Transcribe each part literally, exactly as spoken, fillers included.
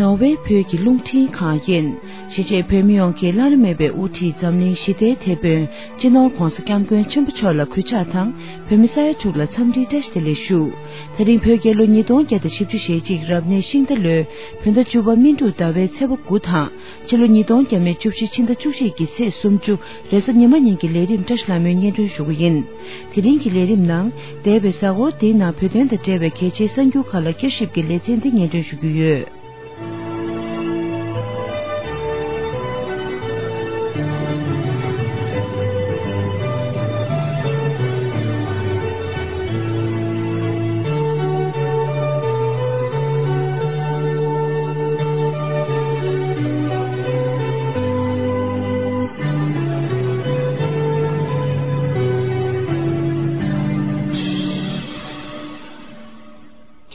ནོར་ཝེ་བོད་ཀྱི་རླུང་འཕྲིན་ཁང་ཡིན། གཞིས་བྱེས་བོད་མི་ཡོངས་ཀྱི་བླ་ན་མེད་པའི་དབུ་ཁྲིད་འཛམ་གླིང་ཞི་བདེའི་དེད་དཔོན་སྤྱི་ནོར་༧གོང་ས་༧སྐྱབས་མགོན་ཆེན་པོ་མཆོག་ལ་གུས་ཕྱག་དང་། བོད་མི་ས་ཡ་དྲུག་ལ་འཚམས་འདྲིའི་བཀྲ་ཤིས་བདེ་ལེགས་ཞུ། ད་རིང་བོད་རྒྱལ་ལོ་ཉིས་སྟོང་བརྒྱ་དང་བཞི་བཅུ་ཞེ་གཅིག་རབ་གནས་ཤིང་རྟ་ལོའི་བོད་ཟླ་བཅུ་པ་སྨིན་དྲུག་ཟླ་བའི་ཚེས་པ་དགུ་དང་། ཕྱི་ལོ་ཉིས་སྟོང་བརྒྱ་མེད་བཅུ་བཞི་ཕྱི་ཟླ་བཅུ་གཅིག་གི་ཚེས་སུམ་ཅུ་རེས་གཟའ་ཉི་མ་ཉིན་གྱི་ལས་རིམ་བཀྲ་ཤིས་ལྷ་མོས་སྙན་སྒྲོན་ཞུ་གི་ཡིན། དེ་རིང་གི་ལས་རིམ་ནང་འདས་པའི་གཟའ་འཁོར་འདིའི་ནང་བོད་དོན་དང་འབྲེལ་བའི་གལ་ཆེའི་གསར་འགྱུར་ཁག་ལ་བསྐྱར་ཞིབ་ཀྱི་ལེ་ཚན་འདི་སྙན་སྒྲོན་ཞུ་རྒྱུ་ཡོད།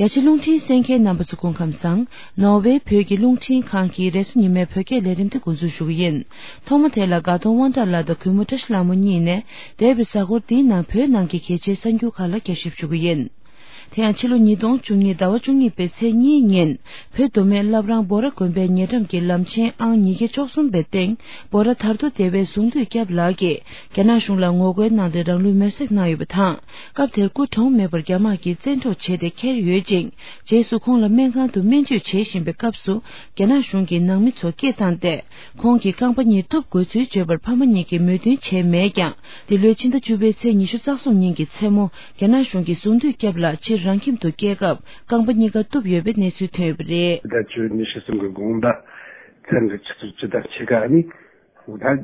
རྒྱ་ཆེ་རླུང་འཕྲིན་གསན་མཁན་རྣམ་པ་ཚོ་སྐུ་ཁམས་བཟང་། ནོར་ཝེ་བོད་ཀྱི་རླུང་འཕྲིན་ཁང་གི་རེས་གཟའ་ཉི་མའི་བོད་སྐད་ལས་རིམ་དེ་འགོ་འཛུགས་ཞུ་གི་ཡིན། ཐོག་མ་དེ་ལ་དགའ་གདོང་དབང་གྲགས་ལགས་དང་གུས་མོ་བཀྲ་ཤིས་ལྷ་མོ་གཉིས་ནས་འདས་པའི་གཟའ་འཁོར་འདིའི་ནང་བོད་ནང་གི་གལ་ཆེའི་གསར་འགྱུར་ཁག་ལ་བསྐྱར་ཞིབ་ཞུ་གི་ཡིན། དེ་ཡང་ཕྱི་ལོ་ཉིས་སྟོང་བཅུ་གཉིས་ཟླ་བ་བཅུ་གཉིས་པའི་ཚེས་གཉིས་ཉིན་བོད་མདོ་སྨད་བླ་བྲང་འབོ་ར་དགོན་པའི་ཉེ་འགྲམ་གྱི་ལམ་ཆེན་ཨང་ཉིས་བརྒྱ་བཅུ་གསུམ་པའི་སྟེང་འབོ་ར་དར་མདོ་སྡེ་བའི་གཟུངས་འདུས་སྐྱབས་ལགས་ཀྱིས་རྒྱ་ནག་གཞུང་ལ་ངོ་རྒོལ་གནང་སྟེ་རང་ལུས་མེར་སྲེག་གནང་ཡོད་པ་དང་། སྐབས་དེར་སྐུ་གྲོངས་མེད་པར་རྒྱ་དམག་གིས་བཙན་འཕྲོག་བྱས་ཏེ་ཁྱེར་ཡོད་ཅིང་། རྗེས་སུ་ཁོང་ལ་སྨན་ཁང་དུ་སྨན་བཅོས་བྱེད་བཞིན་པའི་སྐབས་སུ། རྒྱ་ནག་གཞུང་གིས་ནང་མི་ཚོ་སྐད་བཏང་སྟེ། ཁོང་གི་རྐང་པ་གཉིས་གཏུབ་དགོས་ཚུལ་བརྗོད་པར་ཕ་མ་གཉིས་ཀྱིས་མོས་མཐུན་བྱས་མེད་ཀྱང་། འདི་ལོའི་ཕྱི་ཟླ་བཅུ་པའི་ཚེས་ཉི་ཤུ་རྩ་གསུམ་ཉིན་གྱི་མཚན་མོ། རྒྱ་ནག་གཞུང་གིས་གཟུངས་འདུས་སྐྱབས་ལགས་ཕྱིར་རང་ཁྱིམ་དུ་སྐྱེལ་སྐབས། རྐང་པ་གཉིས་ཀ་གཏུབ་ཡོད་པའི་གནས་ཚུལ་ཐོན་ཡོད་པ་རེད། ཟླ་བཅུ་ཉི་ཤུ་གསུམ་གྱི་དགོང་དག་མཚན་གྱི་ཆུ་ཚོད་བཅུ་དང་ཕྱེད་ཀ་ནི། འོ་ད།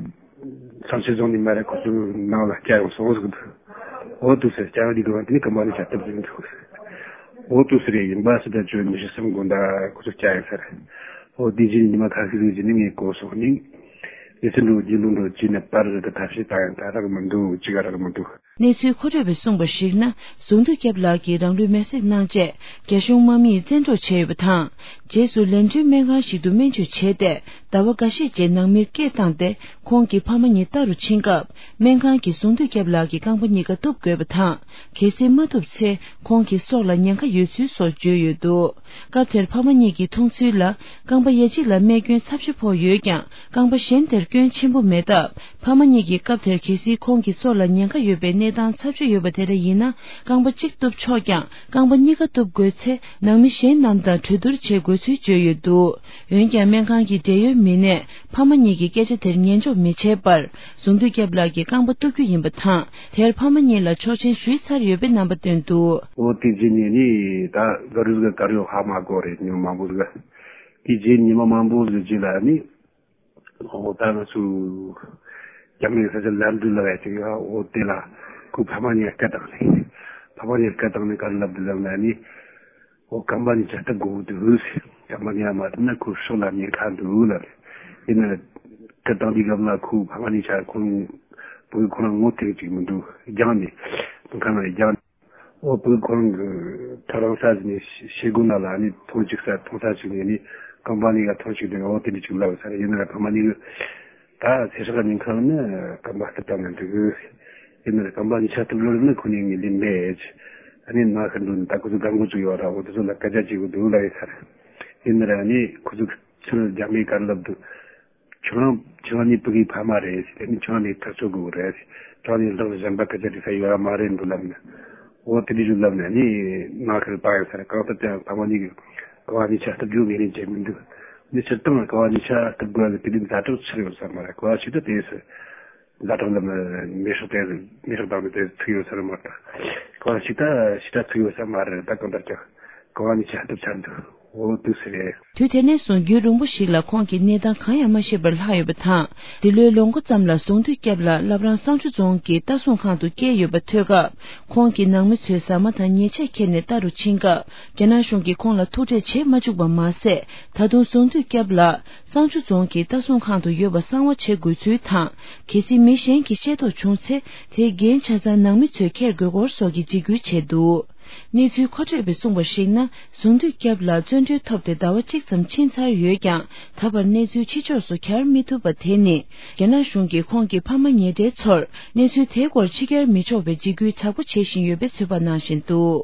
ཚང་ཆེ་རྫོང་ནས་མ་རེད། ཁོ་ཚོའི་ནང་ལ་སྐྱ་ཡང་སོང་ཟིག་འདུག་འོ་དུ་ཟེར་སྐྱ་ཡང་འདི་གི་བ་དེ་ནི་ཀམ་པ་ནི་ཆ་སྟབས་ཟིན་འདུག་འོ་དུ་ཟེར་ཡིན་པ་སི་ད་ཅོ་ཉི་ཤུ་སུམ་དགོན་ད་ཁོ་ཚོ་སྐྱ་ཡང་ཟེར། འོ་དེ་རྗེས་ཉི་མ་ཁ་ཤས་ཟིག་རྗེས་ནི་ངས་གོ་སོང་ནི། ཡི་ཚི་འགྲོ་རྒྱུ་ལུང་འགྲོ་ཅི་ནས་པར་ཟིག་ད་ཐབས་ཤེས་ད་ཡང་ད་རག་མི་འདུག་ཅི་ག་རག་མི་འདུག་གནས་ཚུལ་མཁོ་སྤྲོད་པས་གསུངས་པར་གཞིགས་ན། གཟུངས་འདུས་སྐྱབས་ལགས་ཀྱིས་རང་ལུས་མེར་སྲེག་གནང་རྗེས། རྒྱ་གཞུང་དམག་མིས་བཙན་འཕྲོག་བྱས་ཡོད་པ་དང་། རྗེས་སུ་ལན་ཀྲུའུ་སྨན་ཁང་ཞིག་ཏུ་སྨན་བཅོས་བྱས་ཏེ། ཟླ་བ་འགའ་ཤས་རྗེས་ནང་མིར་སྐད་བཏང་སྟེ། ཁོང་གི་ཕ་མ་གཉིས་ལྟ་རུ་ཕྱིན་སྐབས། སྨན་ཁང་གིས་གཟུངས་འདུས་སྐྱབས་ལགས་ཀྱི་རྐང་པ་གཉིས་ཀ་གཏུབ་དགོས་པ་དང་། གལ་སྲིད་མ་གཏུབ་ཚེ། ཁོང་གི་སྲོག་ལ་ཉེན་ཁ་ཡོད་ཚུལ་སོགས་བརྗོད་ཡོད་འདུག་སྐབས་དེར་ཕ་མ་གཉིས་ཀྱིས་མཐོང་ཚུལ་ལ། རྐང་པ་ཡ་གཅིག་ལ་རྨས་སྐྱོན་ཚབས་ཆེ་ཕོག་ཡོད་ཀྱང་། རྐང་པ་གཞན་དེར་སྐྱོན་ཆེན་པོ་མེད་སྟབས། ཕ་མ་གཉིས་ཀྱིས་སྐབས་དེར་གལ་སྲིད་ཁོང་གི་སྲོག་ལ་ཉེན་ཁ་ཡོད་པའི་གནས་སྟངས་ཚབས་ཆེ་ཡོད་པ་དེ་འདྲ་ཡིན་ན། རྐང་པ་གཅིག་གཏུབ་ཆོག་ཀྱང་། རྐང་པ་གཉིས་ཀ་གཏུབ་དགོས་ཚེ། ནང་མི་གཞན་རྣམས་དང་གྲོས་བསྡུར་བྱེད་དགོས་ཚུལ་བརྗོད་ཡོད་འདུག་འོན་ཀྱང་། སྨན་ཁང་གི་འབྲེལ་ཡོད་མི་སྣས། ཕ་མ་གཉིས་ཀྱི་སྐད་ཆ་དེར་ཉན་འཇོག་མི་བྱེད་པར། གཟུངས་འདུས་སྐྱབས་ལགས་ཀྱི་རྐང་པ་གཏུབ་རྒྱུ་ཡིན་པ་དང་། དེར་ཕ་མ་གཉིས་ལ་ཆོག་མཆན་ཞུས་ཚར་ཡོད་པའི་རྣམ་པ་བཏོན་འདུག་འོ་དེ་རྗེས་ནས་ནི་ད་ག་རུ་ག་ག་རུ་ཧ་མ་གོ་རེད། ཉོ་མང་པོ་ཟིག་དེ་རྗེས་ཉི་མ་མང་པོ་ཟིག་རྗེས་ལ་ནི། འོ་ད་ང་ཚོ་རྒྱ་མིའི་ས་ཆ་ལམ་འགྲུལ་ལ་བས་ཅིག་ཡོད། འོ་དེ་ལ་ཁོའི་ཕ་མ་གཉིས་སྐད་བཏང་ནས། ཕ་མ་གཉིས་སྐད་བཏང་ནས་ག་རེ་ལབ་འདུག་ལབ་ན་ནི། འོ་རྐང་པ་གཉིས་ཆ་གཏུབ་དགོས་འདུག་ཟེར། རྐང་པ་གཉིས་མ་གཏུབ་ན་ཁོའི་སྲོག་ལ་ཉེན་ཁ་འདུག་ལབ་རེད། ཡིན་ན་སྐད་བཏང་དུས་སྐབས་ལ་ཁོའི་ཕ་མ་གཉིས་ཆ་ཁོང་བུ་ཁོ་རང་ངོ་ཐེག་ཅིག་མི་འདུག་རྒྱང་ནས་ཁང་ཁ་ནང་རྒྱང་ནས། འོ་བུ་ཁོ་རང་གི་ཐག་རིང་ས་ཟིག་ནས་ཤེལ་སྒོ་ནང་ལ་ནི་ཐོན་ཅིག་ས་ཐོན་ས་ཅིག་ནས་ནི་རྐང་པ་གཉིས་ཀ་ཐོན་ཅིག་དེ་འོ་དེ་འདྲ་ཅིག་ལབ་ས་རེད། ཡིན་ན་ར་ཕ་མ་གཉིས་ཀྱི་ད་ཚེ་སྲོག་ཉེན་ཁ་ནི་རྐང་པ་གཏུབ་བཏང་ན་འགྲིག་གི། ཡིན་ན་ར་རྐང་པ་གཉིས་ཆ་གཏུབ་ལོ་ནི་ཁོ་ནི་ངས་ལེན་མེད། ཨ་ནི་ང་ཤི་འགྲོ་ནི་ད་ཁོ་ཚོ་སྒང་གོ་ཚོ་ཡོད་ར། འོ་དེ་ཚོ་ལ་སྐད་ཆ་བྱེད་དགོས་འདུག་ལབ་ཡོད་ས་རེད། ཡིན་ན་ར་ནི་ཁོ་ཚོ་ཚུར་རྒྱ་མིས་ག་རེ་ལབ་འདུག་ཁྱོད་རང་ཁྱོད་རང་ནི་ཕ་གིའི་ཕ་མ་རེད་ཟེར། དེ་ནི་ཁྱོད་རང་ནི་ཐག་གཅོད་དགོས་རེད་ཟེར། ཁྱོད་རང་ནི་ལག་གཞན་པ་སྐད་ཆ་དྲི་ས་ཡོད་ར་མ་རེད་འགྲོ་ལབ་ནས། འོ་དེ་འདྲ་ཞིག་ལབ་ནས་ནི་ང་ཁར་བཏང་ཡོད་ས་རེད། གང་ལྟར་ཀྱང་ཕ་མ་གཉིས་ཀྱིས་རྐང་པ་གཉིས་ཆ་གཏུབ་རྒྱུ་ངས་ནི་བྱེད་མི་འདུག་ནི་སྤྱིར་བཏང་རྐང་པ་གཉིས་ཆ་གཏུབ་དགོས་ལ་དེ་འདྲའི་ཛ་དྲག་ཆགས་ཡོད་ས་མ་རེད། གོ་བ་ཞིག་ད་དེ་ཟེར། ཛ་དྲག་ལབ་ན་མེ་སྲེག་དེ་མེ་སྲེག་བཏང་ནས་དེ་ཚིག་ཡོད་ས་རེད་མ་གཏོགས། གོ་བ་ཞིག་ད་ཞིག་ད་ཚིག་ཡོད་ས་མ་རེད། ད་གང་ལྟར་ཀྱང་རྐང་པ་གཉིས་ཆ་གཏུབ་ཚར་འདུག་འོ་དུས་སུ་རེད། དུས་དེ་ནས་བཟུང་རྒྱུན་རིང་པོ་ཞིག་ལ་ཁོང་གི་གནས་སྟངས་གང་ཡང་མ་ཤེས་པར་ལྷག་ཡོད་པ་དང་། འདི་ལོའི་ལོ་མགོ་ཙམ་ལ་གཟུངས་འདུས་སྐྱབས་ལགས་བླ་བྲང་བསང་ཆུ་རྫོང་གི་ལྟ་སྲུང་ཁང་དུ་བསྐྱལ་ཡོད་པ་ཐོས་སྐབས། ཁོང་གི་ནང་མི་ཚོས་ཟ་མ་དང་ཉལ་ཆས་ཁྱེར་ནས་ལྟ་རུ་ཕྱིན་སྐབས། རྒྱ་ནག་གཞུང་གིས་ཁོང་ལ་ཐུག་འཕྲད་བྱེད་མ་བཅུག་པ་མ་ཟད། ད་དུང་གཟུངས་འདུས་སྐྱབས་ལགས་བསང་ཆུ་རྫོང་གི་ལྟ་སྲུང་ཁང་དུ་ཡོད་པ་གསང་བ་བྱེད་དགོས་ཚུལ་དང་། གལ་སྲིད་མི་གཞན་གྱིས་ཤེས་རྟོགས་བྱུང་ཚེ། དེའི་འགན་ཆ་ཚང་ནང་མི་ཚོས་འཁྱེར་དགོས་སྐོར་སོགས་ཀྱི་འཇིགས་སྐུལ་བྱས་འདུག་གནས་ཚུལ་མཁོ་སྤྲོད་པས་གསུངས་པར་གཞིགས་ན། གཟུངས་འདུས་སྐྱབས་ལགས་བཙོན་གྲོལ་ཐོབ་སྟེ་ཟླ་བ་གཅིག་ཙམ་ཕྱིན་ཚར་ཡོད་ཀྱང་། ད་བར་གནས་ཚུལ་ཕྱི་ཕྱོགས་སུ་གྱར་མི་ཐུབ་པ་དེ་ནི། རྒྱ་ནག་གཞུང་གིས་ཁོང་གི་ཕ་མ་ཉེ་འབྲེལ་ཚོར་གནས་ཚུལ་དེའི་སྐོར་ཕྱི་གྱར་མི་ཆོག་པའི་འཇིགས་སྐུལ་དྲག་པོ་བྱེད་བཞིན་ཡོད་པའི་ཚོད་དཔག་གནང་བཞིན་འདུག་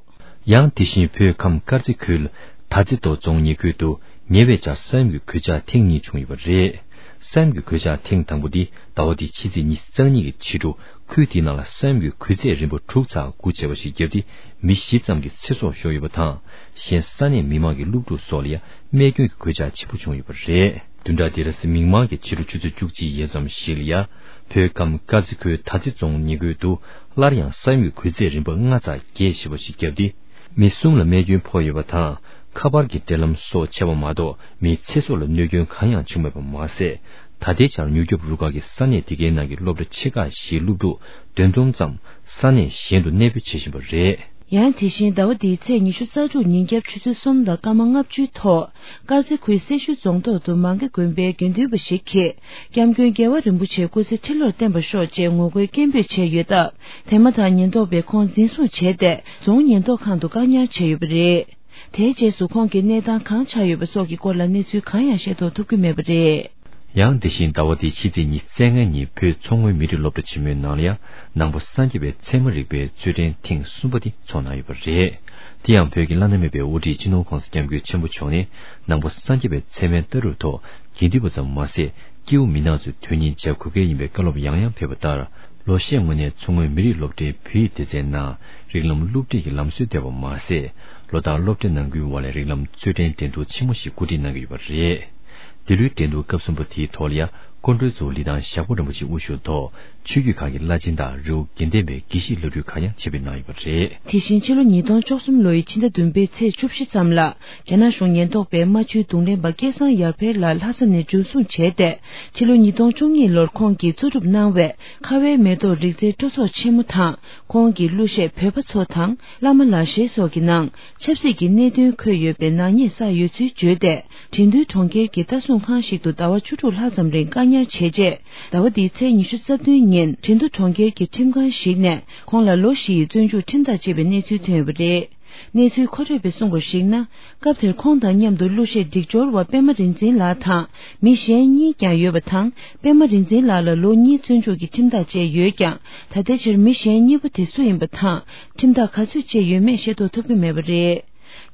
ཡང་དེ་བཞིན་བོད་ཁམས་དཀར་མཛེས་ཁུལ་དར་རྩེ་མདོ་རྫོང་ཉེ་ཁུལ་དུ། ཉེ་བའི་ཆར་ས་ཡོམ་གྱི་གོད་ཆག་ཐེངས་གཉིས་བྱུང་ཡོད་པ་རེད། ས་ཡོམ་གྱི་གོད་ཆག་ཐེངས་དང་པོ་འདི་ཟླ་བ་འདིའི་ཕྱི་ཚེས་ཉི་ཤུ་རྩ་གཉིས་ཀྱི་ཕྱི་དྲོ། ཁུལ་དེའི་ནང་ལ་ས་ཡོམ་གྱི་གོད་ཚད་རིམ་པ་དྲུག་ཚེག་དགུ་བྱས་པ་ཞིག་བརྒྱབ་སྟེ། མི་བཞི་ཙམ་གྱི་ཚེ་སྲོག་ཤོར་ཡོད་པ་དང་། གཞན་ས་གནས་མི་མང་གི་སློབ་ཕྲུག་སོགས་ལ་ཡང་རྨས་སྐྱོན་གྱི་གོད་ཆག་ཆེན་པོ་བྱུང་ཡོད་པ་རེད། བདུན་ཕྲག་འདིའི་རེས་གཟའ་མིག་དམར་གྱི་ཕྱི་དྲོ་ཆུ་ཚོད་བཅུ་གཅིག་ཡས་ཙམ་ཞིག་ལ་ཡ། བོད་ཁམས་དཀར་མཛེས་ཁུལ་དར་རྩེ་རྫོང་ཉེ་ཁུལ་དུ་སླར་ཡང་ས་ཡོམ་གྱི་གོད་ཚད་རིམ་པ་ལྔ་ཚེག་བརྒྱད་ཞེ་པོ་ཞིག་བརྒྱབ་སྟེ། མི་གསུམ་ལ་རྨས་སྐྱོན་ཕོག་ཡོད་པ་དང་། ཁ་པར་གྱི་འབྲེལ་ལམ་སོགས་ཆད་པ་མ་གཏོགས། མིའི་ཚེ་སྲོག་ལ་གནོད་སྐྱོན་གང་ཡང་བྱུང་མེད་པ་མ་ཟད། ད་ལྟའི་ཆར་མྱུར་སྐྱོབ་རུ་ཁག་གིས་ས་གནས་དེ་གའི་ནང་གི་སློབ་གྲྭ་ཆེ་ཁག་བཞིའི་སློབ་ཕྲུག་བདུན་སྟོང་ཙམ་ས་གནས་གཞན་དུ་གནས་སྤོས་བྱེད་བཞིན་པ་རེད། ཡང་དེ་བཞིན་ཟླ་བ་འདིའི་ཚེས་ཉི་ཤུ་རྩ་དྲུག་ཉིན་རྒྱབ་ཆུ་ཚོད་གསུམ་དང་སྐར་མ་ལྔ་བཅུའི་ཐོག་དཀར་མཛེས་ཁུལ་སེར་ཤུལ་རྫོང་ཐོག་ཏུ་མང་ཀེ་དགོན་པའི་དགེ་འདུན་པ་ཞིག་གིས་སྐྱབས་མགོན་རྒྱལ་བ་རིན་པོ་ཆེའི་སྐུ་ཚེ་ཁྲི་ལོར་བརྟན་པར་ཤོག་ཅེས་ངོ་རྒོལ་སྐད་འབོད་བྱས་ཡོད་སྟབས། དེ་མ་ཐག་ཉེན་རྟོག་པས་ཁོང་འཛིན་བཟུང་བྱས་ཏེ། རྫོང་ཉེན་རྟོག་ཁང་དུ་བཀག་ཉར་བྱས་ཡོད་པ་རེད། དེའི་རྗེས་སུ་ཁོང་གི་གནས་སྟངས་གང་ཆགས་ཡོད་པ་སོགས་ཀྱི་སྐོར་ལ་གནས་ཚུལ་གང་ཡང་ཤེས་རྟོགས་ཐུབ་ཀྱི་མེད་པ་རེད། ཡང་དེ་བཞིན་ཟླ་བ་འདིའི་ཕྱི་ཚེས་ཉི་ཤུ་རྩ་ལྔ་ཉིན་བོད་མཚོ་སྔོན་མི་རིགས་སློབ་གྲྭ་ཆེན་མོའི་ནང་ལ་ཡང་ནང་པ་སངས་རྒྱས་པའི་ཚད་མ་རིག་པའི་རྩེད་འགྲན་ཐེངས་གསུམ་པ་དེ་འཚོགས་གནང་ཡོད་པ་རེད། དེ་ཡང་བོད་ཀྱི་བླ་ན་མེད་པའི་དབུ་ཁྲིད་སྤྱི་ནོར་༸གོང་ས་༸སྐྱབས་མགོན་ཆེན་པོ་མཆོག་ནས་ནང་པ་སངས་རྒྱས་པའི་ཚད་མའི་ལྟ་གྲུབ་ཐོག་དགེ་འདུན་པ་ཙམ་མ་ཟད། སྐྱེ་བོ་མི་ནག་ཚོའི་དོན་སྙིང་བྱ་དགོས་གལ་ཡིན་པའི་བཀའ་སློབ་ཡང་ཡང་ཕེབས་པ་ལྟར། ལོ་ཤས་སྔོན་ནས་མཚོ་སྔོན་མི་རིགས་སློབ་གྲྭའི་བོད་ཡིག་སྡེ་ཚན་ནང་རིགས་ལམ་སློབ་ཁྲིད་ཀྱི་ལམ་སྲོལ་བཏོད་པ་མ་ཟད། ལོ་ལྟར་སློབ་གྲྭ་ནང་ཁུལ་དབར་ལ་རིགས་ལམ་རྩེད་འགྲན་འགྲན་བསྡུར་ཆེན་མོ་ཞིག་གོ་སྒྲིག་གནང་གི་ཡོད་པ་རེད། འདི་ལོའི་འགྲན་བསྡུར་སྐབས་གསུམ་པ་དེའི་ཐོག་ལ་ཡང་སྐུ་མགྲོན་གཙོ་བོ་ལི་ཐང་ཞབས་དཀར་རིན་པོ་ཆེ་དབུ་བཞུགས་ཐོག་ཆོས་བརྒྱུད་ཁག་གི་བླ་ཆེན་དང་རི་བོ་དགེ་ལྡན་པའི་དགེ་བཤེས་བླ་སྤྲུལ་ཁག་ཡང་ཆེད་ཕེབས་གནང་ཡོད་པ་རེད། དེ་བཞིན་ཕྱི་ལོ་ཉིས་སྟོང་བཅུ་གསུམ་ལོའི་ཕྱི་ཟླ་བདུན་པའི་ཚེས་བཅུ་བཞི་ཙམ་ལ། རྒྱ་ནག་གཞུང་ཉེན་རྟོག་པས་རྨ་ཆུའི་རྡུང་ལེན་པ་སྐལ་བཟང་ཡར་འཕེལ་ལགས་ལྷ་ས་ནས་འཛིན་བཟུང་བྱས་ཏེ། ཕྱི་ལོ་ཉིས་སྟོང་བཅུ་གཉིས་ལོར་ཁོང་གིས་གཙོ་སྒྲུབ་གནང་བའི་ཁ་བའི་མེ་ཏོག་རིག་རྩལ་སྤྲོ་ཚོགས་ཆེན་མོ་དང་། ཁོང་གི་གླུ་གཞས་བོད་པ་ཚོ་དང་། བླ་མ་ལག་ཤེས་སོགས་ཀྱི་ནང་ཆབ་སྲིད་ཀྱི་གནད་དོན་འཁོད་ཡོད་པའི་ནག་ཉེས་བསགས་ཡོད་ཚུལ་བརྗོད་དེ། ཁྲིན་ཏུའུ་གྲོང་ཁྱེར་གྱི་ལྟ་སྲུང་ཁང་ཞིག་ཏུ་ཟླ་བ་བཅུ་དྲུག་ལྷག་ཙམ་རིང་བཀག་ཉར་བྱས་རྗེས། ཟླ་བ་འདིའི་ཚེས་ཉི་ཤུ་རྩ་བདུན་ཉིན་ཁྲིན་ཏུའུ་གྲོང་ཁྱེར་གྱི་ཁྲིམས་ཁང་ཞིག་ནས་ཁོང་ལ་ལོ་བཞི་ཡི་བཙོན་འཇུག་ཁྲིམས་ཐག་བཅད་པའི་གནས་ཚུལ་ཐོན་ཡོད་པ་རེད། གནས་ཚུལ་མཁོ་སྤྲོད་པས་གསུངས་པར་གཞིགས་ན། སྐབས་དེར་ཁོང་དང་མཉམ་དུ་གླུ་གཞས་སྒྲིག་སྦྱོར་བ་པད་མ་རིག་འཛིན་ལགས་དང་མི་གཞན་གཉིས་ཀྱང་ཡོད་པ་དང་། པད་མ་རིག་འཛིན་ལགས་ལ་ལོ་གཉིས་བཙོན་འཇུག་གི་ཁྲིམས་ཐག་བཅད་ཡོད་ཀྱང་། ད་ལྟའི་ཆར་མི་གཞན་གཉིས་པོ་དེ་སུ་ཡིན་པ་དང་ཁྲིམས་ཐག་ག་ཚོད་བཅད་ཡོད་མེད་ཤེས་རྟོགས་ཐུབ་ཀྱི་མེད་པ་རེད།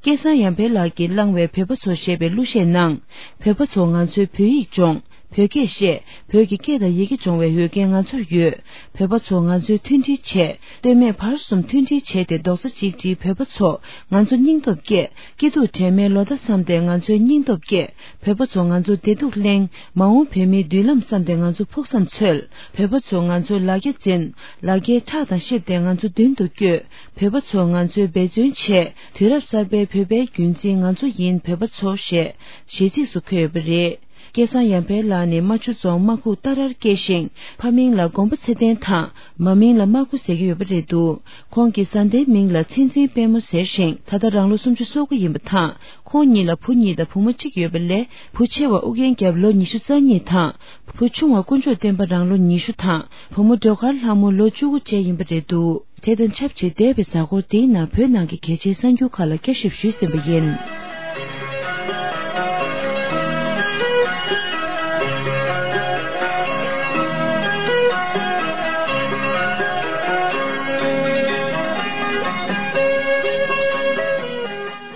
སྐལ་བཟང་ཡར་འཕེལ་ལགས་ཀྱིས་བླངས་བའི་བོད་པ་ཚོ་ཞེས་པའི་གླུ་གཞས་ནང་། བོད་པ་ཚོ་ང་ཚོའི་བོད་ཡིག་སྦྱོང་། བོད་སྐད་བཤད། བོད་ཀྱི་སྐད་དང་ཡི་གེ་སྦྱོང་བའི་འོས་འགན་ང་ཚོར་ཡོད། བོད་པ་ཚོ་ང་ཚོའི་མཐུན་སྒྲིལ་བྱེད། སྟོད་སྨད་བར་གསུམ་མཐུན་སྒྲིལ་བྱས་ཏེ་རྡོག་རྩ་གཅིག་སྒྲིལ། བོད་པ་ཚོ་ང་ཚོ་སྙིང་སྟོབས་བསྐྱེད། སྐྱིད་སྡུག་དྲན་མེད་ལོ་ཟླ་བསམ་སྟེ་ང་ཚོའི་སྙིང་སྟོབས་བསྐྱེད། བོད་པ་ཚོ་ང་ཚོ་བདེ་སྡུག་གླེང་། མ་འོངས་བོད་མིའི་མདུན་ལམ་བསམ་སྟེ་ང་ཚོ་ཕུགས་བསམ་འཚོལ། བོད་པ་ཚོ་ང་ཚོའི་ལ་རྒྱ་འཛིན། ལ་རྒྱའི་ཁྲག་དང་གཤིབས་ཏེ་ང་ཚོ་མདུན་དུ་བསྐྱོད། བོད་པ་ཚོ་ང་ཚོའི་འབད་བརྩོན་བྱེད། དུས་རབས་གསར་པའི་བོད་པའི་རྒྱུན་འཛིན་ང་ཚོ་ཡིན་བོད་པ་ཚོ་ཞེས་གཞས་ཚིགས་སུ་འཁོད་ཡོད་པ་རེད། སྐལ་བཟང་ཡར་འཕེལ་ལགས་ནི་རྨ་ཆུ་རྫོང་རྨ་ཁུག་སྟག་རར་སྐྱེས་ཤིང་། ཕ་མིང་ལ་མགོན་པོ་ཚེ་བརྟན་དང་། མ་མིང་ལ་དམར་ཁུ་ཟེར་གྱི་ཡོད་པ་རེད་འདུག་ཁོང་གི་བཟའ་ཟླའི་མིང་ལ་མཚན་འཛིན་དཔལ་མོ་ཟེར་ཞིང་། ད་ལྟ་རང་ལོ་སུམ་ཅུ་སོ་དགུ་ཡིན་པ་དང་། ཁོང་ཉིད་ལ་བུ་གཉིས་དང་བུ་མོ་གཅིག་ཡོད་པ་ལས། བུ་ཆེ་བ་ཨུ་རྒྱན་རྒྱལ་ལོ་ཉི་ཤུ་རྩ་གཉིས་དང་། བུ་ཆུང་བ་དཀོན་མཆོག་བསྟན་པ་རང་ལོ་ཉི་ཤུ་དང་། བུ་མོ་སྒྲོལ་དཀར་ལྷ་མོ་ལོ་བཅུ་དགུ་བཅས་ཡིན་པ་རེད་འདུག་དེ་དང་ཆབས་ཅིག་འདས་པའི་གཟའ་འཁོར་འདིའི་ནང་བོད་ནང་གི་གལ་ཆེའི་གསར་འགྱུར་ཁག་ལ་བསྐྱར་ཞིབ་ཞུས་ཟིན་པ་ཡིན།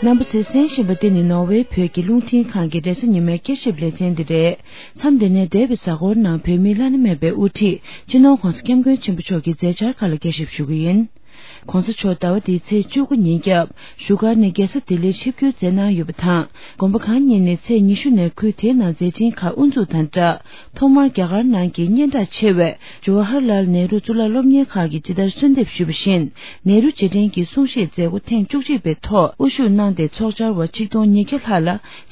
རྣམ་པ་ཚོས་གསན་བཞིན་པ་འདི་ནི་ནོར་ཝེ་བོད་ཀྱི་རླུང་འཕྲིན་ཁང་གི་རེས་གཟའ་ཉི་མའི་བསྐྱར་ཞིབ་ལེ་ཚན་འདི་རེད། མཚམས་འདི་ནས་འདས་པའི་གཟའ་འཁོར་ནང་བོད་མིའི་བླ་ན་མེད་པའི་དབུ་ཁྲིད་སྤྱི་ནོར་༸གོང་ས་༸སྐྱབས་མགོན་ཆེན་པོ་མཆོག་གི་མཛད་འཆར་ཁག་ལ་བསྐྱར་ཞིབ་ཞུ་གི་ཡིན། ༸གོང་ས་མཆོག་ཟླ་བ་འདིའི་ཚེས་བཅུ་དགུ་ཉིན་རྒྱབ་བཞུགས་སྒར་ནས་རྒྱལ་ས་ལྡི་ལིར་ཆིབས་བསྒྱུར་མཛད་གནང་ཡོད་པ་དང་། དགོན་པ་ཁག་གཉིས་ནས་ཚེས་ཉི་ཤུ་ནས་ཁུལ་དེའི་ནང་མཛད་འཕྲིན་ཁག་དབུ་འཛུགས་དང་སྦྲགས། ཐོག་མར་རྒྱ་གར་ནང་གི་སྙན་གྲགས་ཆེ་བའི་ཇོ་ཧར་ལཱལ་ནེ་རུ་གཙུག་ལག་སློབ་གཉེར་ཁང་གིས་ཇི་ལྟར་གསོལ་འདེབས་ཞུས་པ་བཞིན། ནེ་རུ་རྗེས་དྲན་གྱི་གསུང་བཤད་མཛད་སྒོ་ཐེངས་བཅུ་གཅིག་པའི་ཐོག་དབུ་བཞུགས་གནང་སྟེ། ཚོགས་བཅར་བ་ཆིག་སྟོང་ཉིས་བརྒྱ་ལྷག་ལ་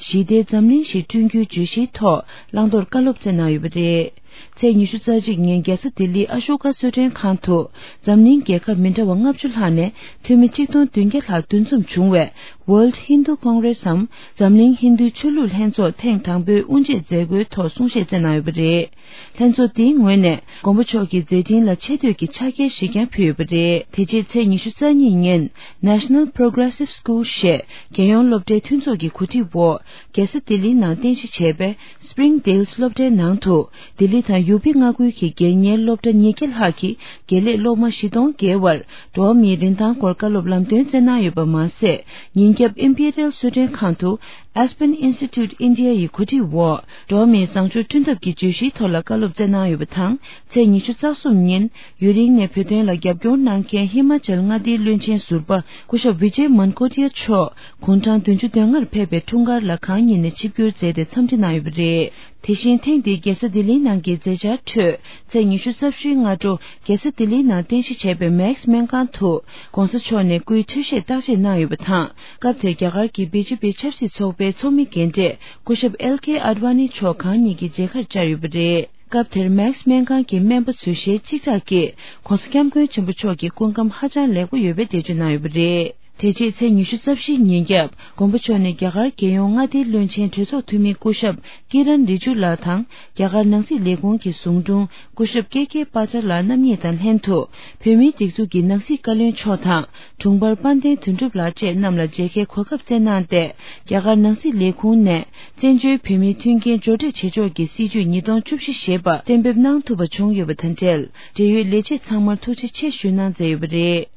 ཞི་བདེའི་འཛམ་གླིང་ཞིག་བསྐྲུན་རྒྱུའི་བརྗོད་གཞིའི་ཐོག་བླང་དོར་བཀའ་སློབ་སྩལ་གནང་ཡོད་པ་རེད། ཚེས་ཉི་ཤུ་རྩ་གཅིག་ཉིན་རྒྱལ་ས་ལྡི་ལིའི་ཨ་ཤོ་ཀ་གསོལ་མགྲོན་ཁང་དུ། འཛམ་གླིང་རྒྱལ་ཁབ་མི་འདྲ་བ་ལྔ་བཅུ་ལྷག་ནས་འཐུས་མི་ཆིག་སྟོང་བདུན་བརྒྱ་ལྷག་འདུ་འཛོམས་བྱུང་བའི་World Hindu Congress འམ། འཛམ་གླིང་ཧིན་རྡུའི་ཆོས་ལུགས་ལྷན་ཚོགས་ཐེངས་དང་པོའི་དབུ་འབྱེད་མཛད་སྒོའི་ཐོག་གསུང་བཤད་སྩལ་གནང་ཡོད་པ་རེད། ལྷན་ཚོགས་འདིའི་ངོས་ནས་མགོན་པོ་མཆོག་གི་མཛད་འཕྲིན་ལ་ཆེ་བསྟོད་ཀྱི་ཕྱག་འཁྱེར་ཞིག་ཀྱང་ཕུལ་ཡོད་པ་རེད། དེ་རྗེས་ཚེས་ཉི་ཤུ་རྩ་གཉིས་ཉིན་National Progressive School ཞེས་རྒྱལ་ཡོངས་སློབ་གྲྭའི་མཐུན་ཚོགས་ཀྱི་གོ་སྒྲིག་འོག་རྒྱལ་ས་ལྡི་ལིའི་ནང་རྟེན་གཞི་བྱས་པའི་Springdale སློབ་གྲྭའི་ནང་དུ། ལྡི་ལི་དང་ཡུ་པི་མངའ་ཁུལ་གྱི་སྒེར་གཉེར་སློབ་གྲྭ་ཉིས་བརྒྱ་ལྷག་གི་དགེ་ལས་སློབ་མ་བཞི་སྟོང་བརྒལ་བར་འགྲོ་བ་མིའི་རིན་ཐང་སྐོར་བཀའ་སློབ་ལམ་སྟོན་སྩལ་གནང་ཡོད་པ་མ་ཟད། ཉིན་རྒྱབ་Imperial གསོལ་མགྲོན་ཁང་དུ་ Aspen Institute India ཡི་གོ་སྒྲིག་འོག་འགྲོ་བ་མིའི་བཟང་སྤྱོད་བསྐྲུན་ཐབས་ཀྱི་བརྗོད་གཞིའི་ཐོག་ལ་བཀའ་སློབ་སྩལ་གནང་ཡོད་པ་དང་། ཚེས་ཉི་ཤུ་རྩ་གསུམ་ཉིན་ཡུན་རིང་ནས་བོད་དོན་ལ་རྒྱབ་སྐྱོར་གནང་མཁན་ཧི་མ་ཅལ་མངའ་སྡེའི་བློན་ཆེན་ཟུར་པ་སྐུ་ཞབས་བི་ཇེ་མན་ཀོ་ཏི་ཡ་མཆོག་དགུང་གྲངས་བདུན་ཅུ་དོན་ལྔར་ཕེབས་པའི་འཁྲུངས་སྐར་ལ་གང་ཉིད་ནས་ཆིབས་བསྒྱུར་མཛད་དེ་འཚམས་འདྲི་གནང་ཡོད་པ་རེད། དེ་བཞིན་ཐེངས་འདིའི་རྒྱལ་ས་ལྡི་ལིའི་ནང་གི་མཛད་འཆར་ཁྲོད། ཚེས་ཉི་ཤུ་རྩ་བཞིའི་སྔ་དྲོ་རྒྱལ་ས་ལྡི་ལིའི་ནང་རྟེན་གཞི་བྱས་པའི་མེག་སི་སྨན་ཁང་དུ་༸གོང་ས་མཆོག་ནས་སྐུའི་འཕྲོད་བཞེས་བརྟག་དཔྱད་གནང་ཡོད་པ་དང་། སྐབས་དེར་རྒྱ་གར་གྱི་བི་ཇེ་པི་ཆབ་སྲིད་ཚོགས་པའི་ཚོགས་མི་རྒན་གྲས་སྐུ་ཞབས་ཨེལ་ཀེ་ཨ་ཌི་ཝ་ནི་མཆོག་གང་ཉིད་ཀྱི་མཇལ་ཁར་བཅར་ཡོད་པ་རེད། སྐབས་དེར་མེག་སི་སྨན་ཁང་གི་སྨན་པ་ཚོས་ཞལ་གཅིག་གྲགས་ཀྱིས་༸གོང་ས་༸སྐྱབས་མགོན་ཆེན་པོ་མཆོག་གི་སྐུ་ཁམས་ཧ་ཅང་ལེགས་པོ་ཡོད་པའི་འགྲེལ་བརྗོད་གནང་ཡོད་པ་རེད། དེ་རྗེས་ཚེས་ཉི་ཤུ་རྩ་བཞི་ཉིན་རྒྱབ་མགོན་པོ་མཆོག་ནས་རྒྱ་གར་རྒྱལ་ཡོངས་མངའ་སྡེའི་བློན་ཆེན་གྲོས་ཚོགས་འཐུས་མི་སྐུ་ཞབས་ཀི་རན་རི་ཇུ་ལགས་དང་རྒྱ་གར་ནང་སྲིད་ལས་ཁུངས་ཀྱི་ཟུང་དྲུང་སྐུ་ཞབས་ཀེ་ཀེ་པ་ཅ་ལགས་རྣམ་གཉིས་དང་ལྷན་དུ་བོད་མིའི་སྒྲིག་འཛུགས་ཀྱི་ནང་སྲིད་བཀའ་བློན་མཆོག་དང་དྲུང་འཕར་དཔལ་ལྡན་དོན་གྲུབ་ལགས་བཅས་རྣམས་ལ་མཇལ་ཁའི་གོ་སྐབས་བསྩལ་གནང་སྟེ། རྒྱ་གར་ནང་སྲིད་ལས་ཁུངས་ནས་བཙན་བྱོལ་བོད་མིའི་མཐུན་རྐྱེན་སྦྱོར་སྤྲོད་བྱེད་ཕྱོགས་ཀྱི་སྲིད་ཇུས་ཉིས་སྟོང་བཅུ་བཞི་ཞེས་པ་གཏན་འབེབས་གནང་ཐུབ་པ་བྱུང་ཡོད་པ་དང་འབྲེལ། འབྲེལ་ཡོད་ལས་བྱེད་ཚང་མར་ཐུགས་རྗེ་ཆེ་ཞུ་གནང་མཛད་ཡོད་པ་རེད།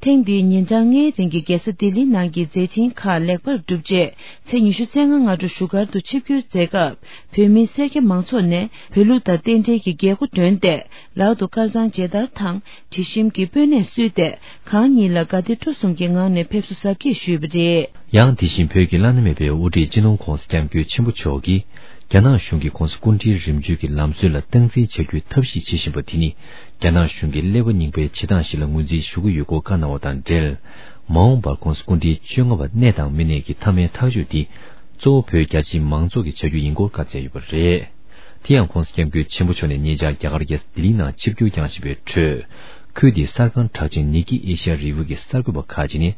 ཐེངས་འདིའི་ཉིན་གྲངས་ལྔའི་རིང་གི་རྒྱལ་ས་ལྡི་ལི་ནང་གི་མཛད་འཕྲིན་ཁག་ལེགས་པར་གྲུབ་རྗེས། ཚེས་ཉི་ཤུ་རྩ་ལྔ་སྔ་དྲོ་བཞུགས་སྒར་དུ་ཆིབས་བསྒྱུར་མཛད་སྐབས། བོད་མི་སེར་སྐྱ་མང་ཚོགས་ནས་བོད་ལུགས་དང་རྟེན་འབྲེལ་གྱི་རྒྱལ་སྒོ་བསྒྲོན་ཏེ། ལག་ཏུ་དཀར་གཙང་མཇལ་དར་དང་། དྲི་ཞིམ་གྱི་སྤོས་སྣེ་གསོལ་ཏེ། གང་ཉིད་ལ་དགའ་བདེ་སྤྲོ་གསུམ་གྱི་ངང་ནས་ཕེབས་བསུ་གཟབ་རྒྱས་ཞུས་པ་རེད། ཡང་དེ་བཞིན་བོད་ཀྱི་བླ་ན་མེད་པའི་དབུ་ཁྲིད་སྤྱི་ནོར་༸གོང་ས་༸སྐྱབས་མགོན་ཆེན་པོ་མཆོག་གིས། རྒྱ་ནག་གཞུང་གིས་༸གོང་ས་སྐུ་ཕྲེང་རིམ་བྱོན་གྱི་ལམ་སྲོལ་ལ་སྟངས་འཛིན་བྱ་རྒྱུའི་ཐབས་ཤེས་བྱེད་བཞིན་པ་དེ་ནི། རྒྱ་ནག་གཞུང་གི་ཀླད་པ་རྙིང་པའི་བྱེད་སྟངས་ཤིག་ལ་ངོས་འཛིན་ཞུ་གི་ཡོད་སྐོར་བཀའ་གནང་བ་དང་འབྲེལ། མ་འོངས་པར་༸གོང་ས་སྐུ་ཕྲེང་བཅོ་ལྔ་པ་གནས་དང་མི་གནས་ཀྱི་མཐའ་མའི་ཐག་གཅོད་དེ། གཙོ་བོ་བོད་རྒྱ་ཆེའི་མང་ཚོགས་ཀྱིས་བྱ་རྒྱུ་ཡིན་སྐོར་བཀའ་སྩལ་ཡོད་པ་རེད། དེ་ཡང་༸གོང་ས་༸སྐྱབས་མགོན་ཆེན་པོ་མཆོག་ནས་ཉེ་ཆར་རྒྱ་གར་རྒྱལ་ས་ལྡི་ལི་ནང་ཆིབས་བསྒྱུར་བསྐྱངས་བཞིན་པའི་ཁྲོད། ཁུལ་དེའི་གསར་ཁང་གྲགས་ཅན་ནི་ཀི་ཨེ་ཤ་ཡ་རི་བོ་གི་གསར་འགོད་པ་ཁག་ཅིག་ནས།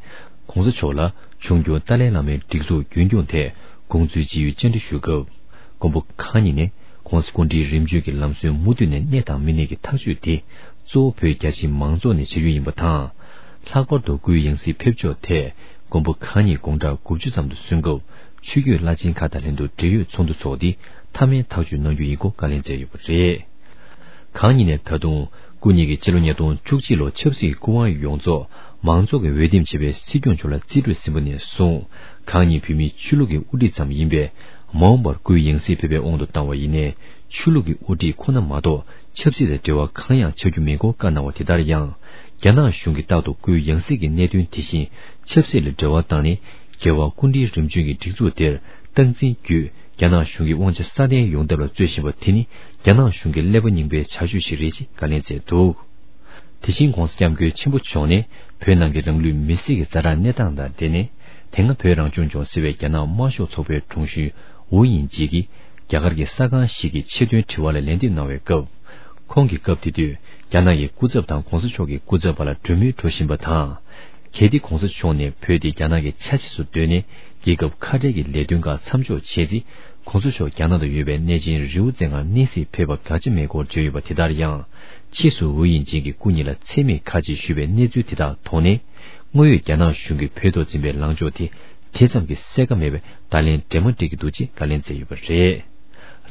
༸གོང་ས་མཆོག་ལ་འབྱུང་འགྱུར་ཏཱ་ལའི་བླ་མའི་སྒྲིག་འཛུགས་རྒྱུན་སྐྱོང་ཐད་དགོངས་ཚུལ་ཅི་ཡོད་བཅར་འདྲི་ཞུས་སྐབས། མགོན་པོ་གང་ཉིད་ནས་༸གོང་ས་སྐུ་ཕྲེང་རིམ་བྱོན་གྱི་ལམ་སྲོལ་མུ་མཐུད་ནས་གནས་དང་མི་གནས་ཀྱི་ཐག་གཅོད་དེ། གཙོ་བོ་བོད་རྒྱ་ཆེའི་མང་ཚོགས་ནས་བྱ་རྒྱུ་ཡིན་པ་དང་། ལྷག་པར་དུ་སྐུའི་ཡང་སྲིད་ཕེབས་ཕྱོགས་ཐད། མགོན་པོ་གང་ཉིད་དགུང་གྲངས་དགུ་བཅུ་ཙམ་དུ་སོན་སྐབས། ཆོས་བརྒྱུད་བླ་ཆེན་ཁག་དང་ལྷན་དུ་འབྲེལ་ཡོད་ཚོགས་འདུ་འཚོགས་ཏེ། མཐའ་མའི་ཐག་གཅོད་གནང་རྒྱུ་ཡིན་སྐོར་བཀའ་ལན་སྩལ་ཡོད་པ་རེད། གང་ཉིད་ནས་ད་དུང་སྐུ་ཉིད་ཀྱིས་ཕྱི་ལོ་ཉིས་སྟོང་བཅུ་གཅིག་ལོ་ཆབ་སྲིད་སྐུ་དབང་ཡོངས་རྫོགས་མང་ཚོགས་ཀྱིས་འོས་འདེམས་བྱས་པའི་སྲིད་སྐྱོང་མཆོག་ལ་རྩིས་སྤྲོད་ཟིན་པ་ནས་བཟུང་། གང་ཉིད་བོད་མིའི་ཆོས་ལུགས་ཀྱི་དབུ་ཁྲིད་ཙམ་ཡིན་པས། མ་འོངས་པར་སྐུའི་ཡང་སྲིད་ཕེབས་པའི་དབང་དུ་བཏང་བ་ཡིན་ནའི། ཆོས་ལུགས་ཀྱི་དབུ་ཁྲིད་ཁོ་ན་མ་གཏོགས་ཆབ་སྲིད་དང་འབྲེལ་བ་གང་ཡང་ཆགས་རྒྱུ་མེད་སྐོར་བཀའ་གནང་བ་དེ་ལྟར་ཡང་། རྒྱ་ནག་གཞུང་གིས་རྟག་ཏུ་སྐུའི་ཡང་སྲིད་ཀྱི་གནད་དོན་དེ་བཞིན་ཆབ་སྲིད་ལ་འབྲེལ་བ་བཏང་ནས། རྒྱལ་བ་སྐུ་ཕྲེང་རིམ་བྱོན་གྱི་སྒྲིག་འཛུགས་དེར་སྟངས་འཛིན་བརྒྱུད། རྒྱ་ནག་གཞུང་གི་དབང་ཆ་སྲ་བརྟན་ཡོང་ཐབས་ལ་རྩོད་བཞིན་པ་དེ་ནི། རྒྱ་ནག་གཞུང་གི་ཀླད་པ་རྙིང་པའི་བྱ་སྤྱོད་ཞིག་རེད་ཅེས་བཀའ་ལན་སྩལ་འདུག་དེ་བཞིན་༸གོང་ས་༸སྐྱབས་མགོན་ཆེན་པོ་མཆོག་ནས། བོད་ནང་གི་རང་ལུས་མེར་སྲེག་གི་ཛ་དྲག་གནས་སྟངས་དང་འབྲེལ་ནས། དེ་སྔ་བོད་རང་སྐྱོང་ལྗོངས་ཟེར་བའི་རྒྱ་ནག་དམར་ཤོག་ཚོགས་པའི་དྲུང་ཆེ་ཝུའུ་དབྱིང་ཇེ་གིས། རྒྱ་གར་གྱི་གསར་ཁང་ཞིག་གི་ཆེད་དོན་དྲི་བ་ལ་ལན་འདེབས་གནང་བའི་སྐབས། ཁོང་གིས་སྐབས་དེ་དུས། རྒྱ་ནག་གི་སྐུ་ཚབ་དང་༸གོང་ས་མཆོག་གི་སྐུ་ཚབ་བར་ལ་གྲོས་མོལ་འགྲོ་བཞིན་པ་དང་། གལ་ཏེ་༸གོང་ས་མཆོག་ནས་བོད་དེ་རྒྱ་ནག་གི་ཆ་ཤས་སུ་བཏོན་ནས། རྒྱལ་ཁབ་ཁ་བྲལ་གྱི་ལས་དོན་ཁག་མཚམས་འཇོག་བྱས་ཚེ། ༸གོང་ས་མཆོག་རྒྱ་ནག་ཏུ་ཡོད་པའི་གནས་ཆེན་རི་བོ་རྩེ་ལྔར་གནས་གཟིགས་ཕེབས་པ་དགག་བྱ་མེད་སྐོར་བརྗོད་ཡོད་པ་དེ་ལྟར་ཡང་། ཕྱིས་སུ་ཝུའུ་དབྱིང་ཇེ་གིས་སྐུ་ཉིད་ལ་མཚན་སྨད་ཁ་ཅིག་ཞུས་པའི་གནས་ཚུལ་དེ་དག་ཐོག་ནས། དངོས་ཡོད་རྒྱ་ནག་གཞུང་གིས་བོད་ཐོག་འཛིན་པའི་ལངས་ཕྱོགས་དེ། དེ་ཙམ་གྱིས་གསལ་ཁ་མེད་པས། བརྡ་ལན་འདྲེས་མ་འགྲིག་གི་འདུག་ཅེས་བཀའ་ལན་སྩལ་ཡོད་པ་རེད།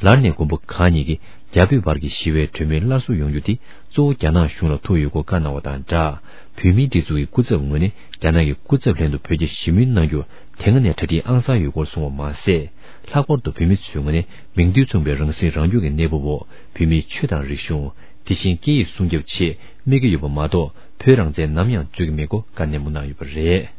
ལར་ནས་མགོན་པོ་གང་ཉིད་ཀྱིས། རྒྱ་བོད་བར་གྱི་ཞི་བའི་གྲོས་མོལ་སླར་གསོ་ཡོང་རྒྱུ་དེ། གཙོ་བོ་རྒྱ་ནག་གཞུང་ལ་ཐུག་ཡོད་སྐོར་བཀའ་གནང་བ་དང་སྦྲགས། བོད་མིའི་སྒྲིག་འཛུགས་ཀྱི་སྐུ་ཚབ་ངོས་ནས། རྒྱ་ནག་གི་སྐུ་ཚབ་ལྷན་དུ་བོད་རྒྱ་ཞི་མོལ་གནང་རྒྱུར། དེ་སྔ་ནས་གྲ་སྒྲིག་ཨང་གསར་ཡོད་སྐོར་གསུངས་པ་མ་ཟད། ལྷག་པར་དུ་བོད་མི་ཚོའི་ངོས་ནས། མིང་དོན་མཚུངས་པའི་རང་སྲིད་རང་སྐྱོང་གི་གནས་བབ་འོག་བོད་མིའི་ཆོས་དང་རིག་གཞུང་། དེ་བཞིན་སྐད་ཡིག་སྲུང་སྐྱོབ་ཆེད་དམིགས་ཀྱི་ཡོད་པ་མ་གཏོགས། བོད་རང་བཙན་ནམ་ཡང་རྩོད་ཀྱི་མེད་སྐོར་བཀའ་ནན་པོ་གནང་ཡོད་པ་རེད།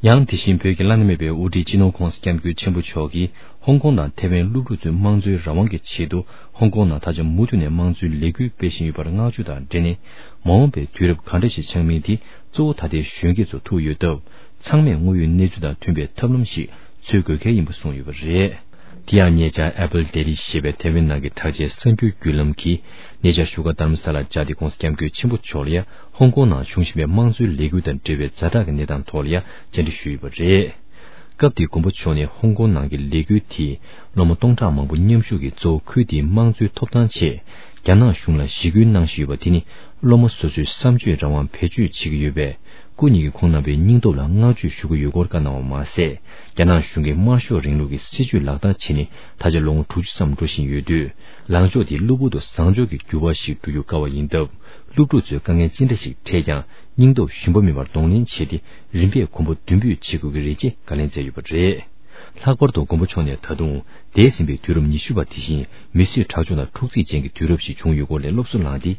ཡང་དེ་བཞིན་བོད་ཀྱི་བླ་ན་མེད་པའི་དབུ་ཁྲིད་སྤྱི་ནོར་༸གོང་ས་༸སྐྱབས་མགོན་ཆེན་པོ་མཆོག་གིས། ཧོང་ཀོང་དང་ཐེ་ཝན་སློབ་ཕྲུག་ཚོའི་དམངས་གཙོའི་རང་དབང་གི་ཆེད་དུ། ཧོང་ཀོང་ནང་ད་ཆ་མུ་མཐུད་ནས་དམངས་གཙོའི་ལས་འགུལ་སྤེལ་བཞིན་ཡོད་པར་བསྔགས་བརྗོད་དང་འབྲེལ་ནས། མ་འོངས་པའི་དུས་རབས་གང་འདྲ་ཞིག་ཆགས་མིན་དེ། གཙོ་བོ་ད་ལྟའི་གཞོན་སྐྱེས་ཚོར་ཐུག་ཡོད་སྟབས། ཚང་མས་དངོས་ཡོད་གནས་ཚུལ་དང་མཐུན་པའི་ཐབས་ལམ་ཞིག་འཚོལ་དགོས་གལ་ཡིན་པ་གསུངས་ཡོད་པ་རེད། དེ་ཡང་ཉེ་ཆར་Apple Daily ཞེས་པའི་ཐེ་ཝན་ནང་གི་གྲགས་ཅན་གསར་འགྱུར་བརྒྱུད་ལམ་གྱིས། ཉེ་ཆར་བཞུགས་སྒར་རྡ་རམ་ས་ལར་བཅར་ཏེ། ༸གོང་ས་༸སྐྱབས་མགོན་ཆེན་པོ་མཆོག་ལ་ཡང་ཧོང་ཀོང་ནང་བྱུང་བཞིན་པའི་དམངས་གཙོའི་ལས་འགུལ་དང་འབྲེལ་བའི་ཛ་དྲག་གི་གནས་སྟངས་ཐོག་ལ་ཡང་བཅར་འདྲི་ཞུས་ཡོད་པ་རེད། སྐབས་དེར་མགོན་པོ་མཆོག་ནས་ཧོང་ཀོང་ནང་གི་ལས་འགུལ་དེས་སློབ་མ་སྟོང་ཕྲག་མང་པོ་མཉམ་ཞུགས་ཀྱིས། གཙོ་བོ་ཁུལ་དེའི་དམངས་གཙོའི་ཐོབ་ཐང་ཆེད། རྒྱ་ནག་གཞུང་ལ་ཞི་རྒོལ་གནང་བཞིན་ཡོད་པ་དེ་ནི། སློབ་མ་སོ་སོའི་བསམ་སྤྱོད་རང་དབང་བེད་སྤྱོད་བྱེད་ཀྱི་ཡོད་པས། སྐུ་ཉིད་ཀྱིས་ཁོང་རྣམ་པའི་སྙིང་སྟོབས་ལ་བསྔགས་བརྗོད་ཞུ་གི་ཡོད་སྐོར་བཀའ་གནང་བ་མ་ཟད། རྒྱ་ནག་གཞུང་གིས་དམར་ཤོག་རིང་ལུགས་ཀྱི་སྲིད་བྱུས་ལག་བསྟར་བྱས་ནས། ད་ཆ་ལོ་ངོ་དྲུག་ཅུ་ཙམ་འགྲོ་བཞིན་ཡོད་དུས། ལངས་ཕྱོགས་དེ་གློ་བུར་དུ་བཟང་ཕྱོགས་ཀྱི་འགྱུར་བ་ཞིག་འགྲོ་རྒྱུ་དཀའ་བ་ཡིན་སྟབས། སློབ་ཕྲུག་ཚོས་དཀའ་ངལ་ཅི་འདྲ་ཞིག་འཕྲད་ཀྱང་། སྙིང་སྟོབས་ཞུམ་པ་མེད་པར་གདོང་ལེན་བྱས་ཏེ། རིམ་པས་གོམ་པ་མདུན་སྤོས་བྱེད་དགོས་ཀྱི་རེད་ཅེས་བཀའ་ལན་སྩལ་ཡོད་པ་རེད། ལྷག་པར་དུ་མགོན་པོ་མཆོག་ནས་ད་དུང་འདས་ཟིན་པའི་དུས་རབས་ཉི་ཤུ་པ་དེ་བཞིན་མི་གསོད་ཁྲག་སྦྱོར་དང་འཁྲུག་རྩོད་ཅན་གྱི་དུས་རབས་ཤིག་བྱུང་ཡོད་སྐོར་ལས་སློབ་གསོ་བླངས་ཏེ།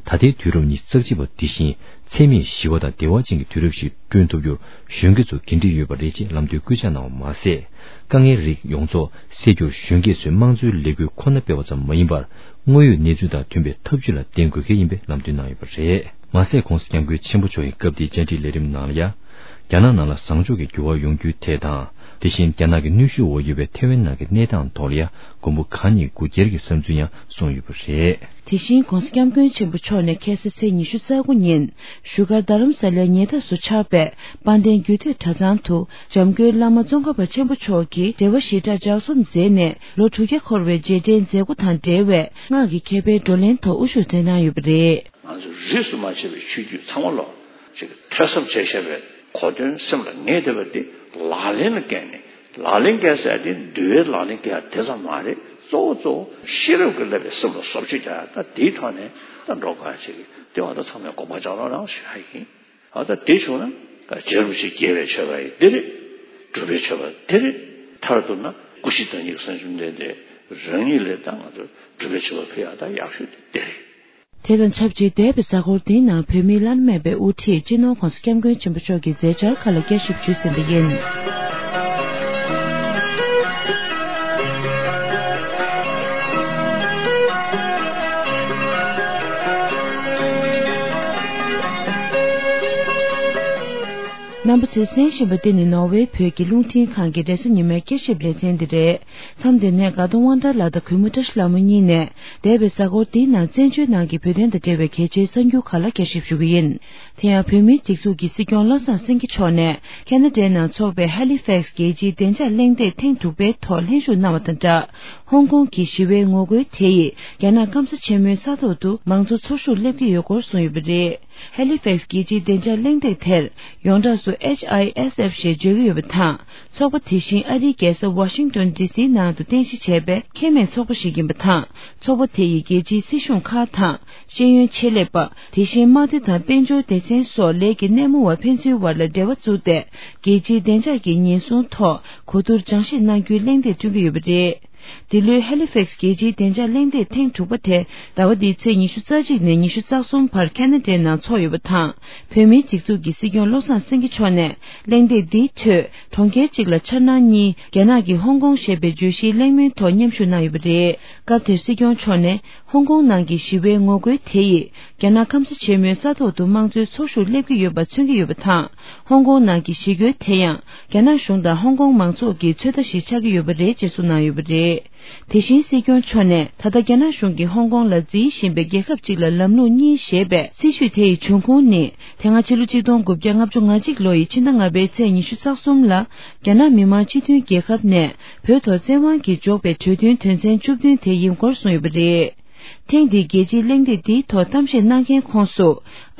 ད་ལྟའི་དུས་རབས་ཉི་ཤུ་རྩ་གཅིག་པ་འདི་བཞིན་འཚེ་མེད་ཞི་བ་དང་བདེ་བ་ཅན་གྱི་དུས་རབས་ཤིག་བསྐྲུན་ཐུབ་རྒྱུར་གཞོན་སྐྱེས་ཚོ་འགན་འཁྲི་ཡོད་པ་རེད་ཅེས་ལམ་སྟོན་སྐུལ་ལྕག་གནང་བ་མ་ཟད། དཀའ་ངལ་རིགས་ཡོངས་རྫོགས་སེལ་རྒྱུར་གཞོན་སྐྱེས་ཚོས་དམངས་གཙོའི་ལས་འགུལ་ཁོ་ན་སྤེལ་བ་ཙམ་མ་ཡིན་པར། དངོས་ཡོད་གནས་ཚུལ་དང་མཐུན་པའི་ཐབས་ཇུས་ལ་བརྟེན་དགོས་གལ་ཡིན་པའི་ལམ་སྟོན་གནང་ཡོད་པ་རེད། མ་ཟད་༧གོང་ས་༧སྐྱབས་མགོན་ཆེན་པོ་མཆོག་གིས་སྐབས་དེའི་བཅར་འདྲི་ལས་རིམ་ནང་ལ་ཡང་། རྒྱ་ནག་ནང་ལ་བཟང་ཕྱོགས་ཀྱི་འགྱུར་བ་ཡོང་རྒྱུའི་ཐད་དང་། དེ་བཞིན་རྒྱ་ནག་གི་གནོན་ཤུགས་འོག་ཡོད་པའི་ཐེ་ཝན་ནང་གི་གནས་སྟངས་ཐོག་ལ་ཡང་མགོན་པོ་གང་ཉིད་སྒུག་བསྐྱལ་གྱི་བསམ་ཚུལ་ཡང་གསུངས་ཡོད་པ་རེད། དེ་བཞིན་༧གོང་ས་༧སྐྱབས་མགོན་ཆེན་པོ་མཆོག་ནས་ཁ་སང་ཚེས་ཉི་ཤུ་རྩ་དགུ་ཉིན་བཞུགས་སྒར་རྡ་རམ་ས་ལའི་ཉེ་འདབས་སུ་ཆགས་པའི་དཔལ་ལྡན་རྒྱུད་སྟོད་གྲྭ་ཚང་དུ་འཇམ་མགོན་བླ་མ་ཙོང་ཁ་པ་ཆེན་པོ་མཆོག་གིས་འབྲེལ་བ་ཞི་དྲག་ལྗགས་རྩོམ་མཛད་ནས་ལོ་དྲུག་བརྒྱ་འཁོར་བའི་རྗེས་དྲན་མཛད་སྒོ་དང་འབྲེལ་བའི་སྔགས་ཀྱི་མཁས་པའི་བགྲོ་གླེང་ཐོག་དབུ་བཞུགས་མཛད་གནང་ཡོད་པ་རེད། ང་ཚོས་རིས་སུ་མ་ཆད་པའི་ཆོས་བརྒྱུད་ཚང་མ་ལ་ཅིག་ཐོས་བསམ་བྱས་བཞག་པའི་གོ་དོན་སེམས་ལ་ངེས་བསྡད་པ་འདི་ལག་ལེན་ལ་བཀལ་ནས་ལག་ལེན་བཀལ་ཟེར་ཡ་དེ་འདུལ་བའི་ལག་ལེན་བཀལ་ཡ་དེ་ཙམ་མ་རེད། གཙོ་བོ་གཙོ་བོ་ཤེས་རབ་ཀྱིས་བསླབས་པའི་སེམས་ལ་བཟོ་བཅོས་རྒྱག་ཡ་ད་དེའི་ཐོག་ནས་ད་འགྲོ་དགོས་ཡ་ཅིག་དེ་བ་ད་ཚང་མས་དགོངས་པ་འཇགས་རོགས་གནང་ཞུ་ཡ་ཡིན། ཨ་ད་དེ་བྱུང་ན་རྗེ་རིན་པོ་ཆེ་དགྱེས་པའི་མཆོད་པ་ཡིན་འདི་རེད། སྒྲུབ་པའི་མཆོད་པ་འདི་རེད། མཐར་གཏུགས་ན་སྐུ་བཞི་བདག་ཉིད་ཀྱི་གསུང་རབ་འདི་འདི་རང་ཉིད་ལས་ད་ང་ཚོ་སྒྲུབ་པའི་མཆོད་པ་ཕུལ་ཡ་ད་ཡག་ཤོས་དེ་འདི་རེད། དེ་དང་ཆབས་ཅིག་འདས་པའི་གཟའ་འཁོར་འདིའི་ནང་བོད་མིའི་བླ་ན་མེད་པའི་དབུ་ཁྲིད་སྤྱི་ནོར་༧གོང་ས་༧སྐྱབས་མགོན་ཆེན་པོ་མཆོག་གི་མཛད་འཆར་ཁག་ལ་བསྐྱར་ཞིབ་ཞུས་ཟིན་པ་ཡིན། རྣམ་པ་ཚོས་གསན་བཞིན་པ་འདི་ནི་ནོར་ཝེ་བོད་ཀྱི་རླུང་འཕྲིན་ཁང་གི་རེས་གཟའ་ཉི་མའི་བསྐྱར་ཞིབ་ལེ་ཚན་འདི་རེད། མཚམས་འདིར་ནས་དགའ་གདོང་དབང་གྲགས་ལགས་དང་གུས་མོ་བཀྲ་ཤིས་ལྷ་མོ་གཉིས་ནས་འདས་པའི་གཟའ་འཁོར་འདིའི་ནང་བཙན་བྱོལ་ནང་གི་བོད་དོན་དང་འབྲེལ་བའི་གལ་ཆེའི་གསར་འགྱུར་ཁག་ལ་བསྐྱར་ཞིབ་ཞུ་གི་ཡིན། དེ་ཡང་བོད་མིའི་སྒྲིག་འཛུགས་ཀྱི་སྲིད་སྐྱོང་བློ་བཟང་སེང་གེ་མཆོག་ནས་ཁ་ན་ཌའི་ནང་འཚོགས་པའི་ཧ་ལི་ཕེག་སི་རྒྱལ་སྤྱིའི་བདེ་འཇགས་གླེང་སྟེགས་ཐེངས་དྲུག་པའི་ཐོག་ལྷན་ཞུགས་གནང་བ་དང་སྦྲགས། ཧོང་ཀོང་གི་ཞི་བའི་ངོ་རྒོལ་དེ་ཡིས་རྒྱ་ནག་སྐམ་ས་ཆེན་མོའི་ས་ཐོག་ཏུ་མང་གཙོ་ཚོར་ཤུགས་སླེབས་ཀྱི་ཡོད་སྐོར་གསུངས་ཡོད་པ་རེད། ཧེ་ལི་ཕེག་སི་རྒྱལ་སྤྱིའི་བདེ་འཇགས་གླེང་སྟེགས་དེར་ཡོངས་གྲགས་སུ་ཨེཆ་ཨའི་ཨེས་ཨེཕ་ཞེས་བརྗོད་ཀྱི་ཡོད་པ་དང་། ཚོགས་པ་དེ་བཞིན་ཨ་རིའི་རྒྱལ་ས་ཝ་ཤིང་ཏོན་ཌི་སིའི་ནང་དུ་རྟེན་གཞི་བྱས་པའི་ཁེ་མེད་ཚོགས་པ་ཞིག་ཡིན་པ་དང་། ཚོགས་པ་དེ་ཡིས་རྒྱལ་སྤྱིའི་སྲིད་གཞུང་ཁག་དང་། ཤེས་ཡོན་ཆེད་ལས་པ། དེ་བཞིན་དམག་སྡེ་དང་དཔལ་འབྱོར་སྡེ་ཚན་སོགས་ལས་ཀྱི་སྣེ་མོ་བ་ཕན་ཚུན་བར་ལ་འབྲེལ་བ་བཙུགས་ཏེ། རྒྱལ་སྤྱིའི་བདེ་འཇགས་ཀྱི་ཉེན་སྲུང་ཐོག་གོ་བསྡུར་སྦྱང་བཤད་གནང་རྒྱུའི་གླེང་སྟེགས་བསྐྲུན་གྱི་ཡོད་པ་རེད། འདི་ལོའི་ཧེ་ལི་ཕེག་སི་རྒྱལ་སྤྱིའི་བདེ་འཇགས་གླེང་སྟེགས་ཐེངས་དྲུག་པ་དེ་ཟླ་བ་འདིའི་ཚེས་ཉི་ཤུ་རྩ་གཅིག་ནས་ཉི་ཤུ་རྩ་གསུམ་བར་ཁ་ན་ཌའི་ནང་འཚོགས་ཡོད་པ་དང་། བོད་མིའི་སྒྲིག་འཛུགས་ཀྱི་སྲིད་སྐྱོང་བློ་བཟང་སེང་གེ་མཆོག་ནས་གླེང་སྟེགས་འདིའི་ཁྲོད་གྲོང་ཁྱེར་གཅིག་ལ་འཆར་སྣང་གཉིས་རྒྱ་ནག་གི་ཧོང་ཀོང་ཞེས་པའི་བརྗོད་གཞིའི་གླེང་མོལ་ཐོག་མཉམ་ཞུགས་གནང་ཡོད་པ་རེད། སྐབས་དེར་སྲིད་སྐྱོང་མཆོག་ནས་ཧོང་ཀོང་ནང་གི་ཞི་བའི་ངོ་རྒོལ་དེ་ཡིས་རྒྱ་ནག་སྐམ་ས་ཆེན་མོའི་ས་ཐོག་ཏུ་དམངས་གཙོའི་ཚོར་ཤུགས་སླེབས་ཀྱི་ཡོད་པ་མཚོན་གྱི་ཡོད་པ་དང་། ཧོང་ཀོང་ནང་གི་ཞི་རྒོལ་དེ་ཡང་རྒྱ་ནག་གཞུང་དང་ཧོང་ཀོང་མང་ཚོགས་ཀྱི་ཚོད་ལྟ་ཞིག་ཆགས་ཀྱི་ཡོད་པ་རེད་ཅེས་གསུངས་གནང་ཡོད་པ་རེད། དེ་བཞིན་སྲིད་སྐྱོང་མཆོག་ནས་ད་ལྟ་རྒྱ་ནག་གཞུང་གིས་ཧོང་ཀོང་ལ་འཛིན་བཞིན་པའི་རྒྱལ་ཁབ་ཅིག་ལ་ལམ་ལུགས་གཉིས་ཞེས་པའི་སྲིད་བྱུས་དེ་ཡི་འབྱུང་ཁུངས་ནི། དེ་སྔ་ཕྱི་ལོ་ཆིག་སྟོང་དགུ་བརྒྱ་ལྔ་བཅུ་ང་གཅིག་ལོ་ཡི་ཕྱི་ཟླ་ལྔ་པའི་ཚེས་ཉི་ཤུ་རྩ་གསུམ་ལ། རྒྱ་ནག་མི་དམངས་སྤྱི་མཐུན་རྒྱལ་ཁབ་ནས་བོད་ཐོག་བཙན་དབང་གིས་འཇོག་པའི་གྲོས་མཐུན་དོན་ཚན་བཅུ་བདུན་དེ་ཡིན་སྐོར་གསུངས་ཡོད་པ་རེད། ཐེངས་འདིའི་རྒྱལ་སྤྱིའི་གླེང་སྟེགས་འདིའི་ཐོག་གཏམ་བཤད་གནང་མཁན་ཁོངས་སུ།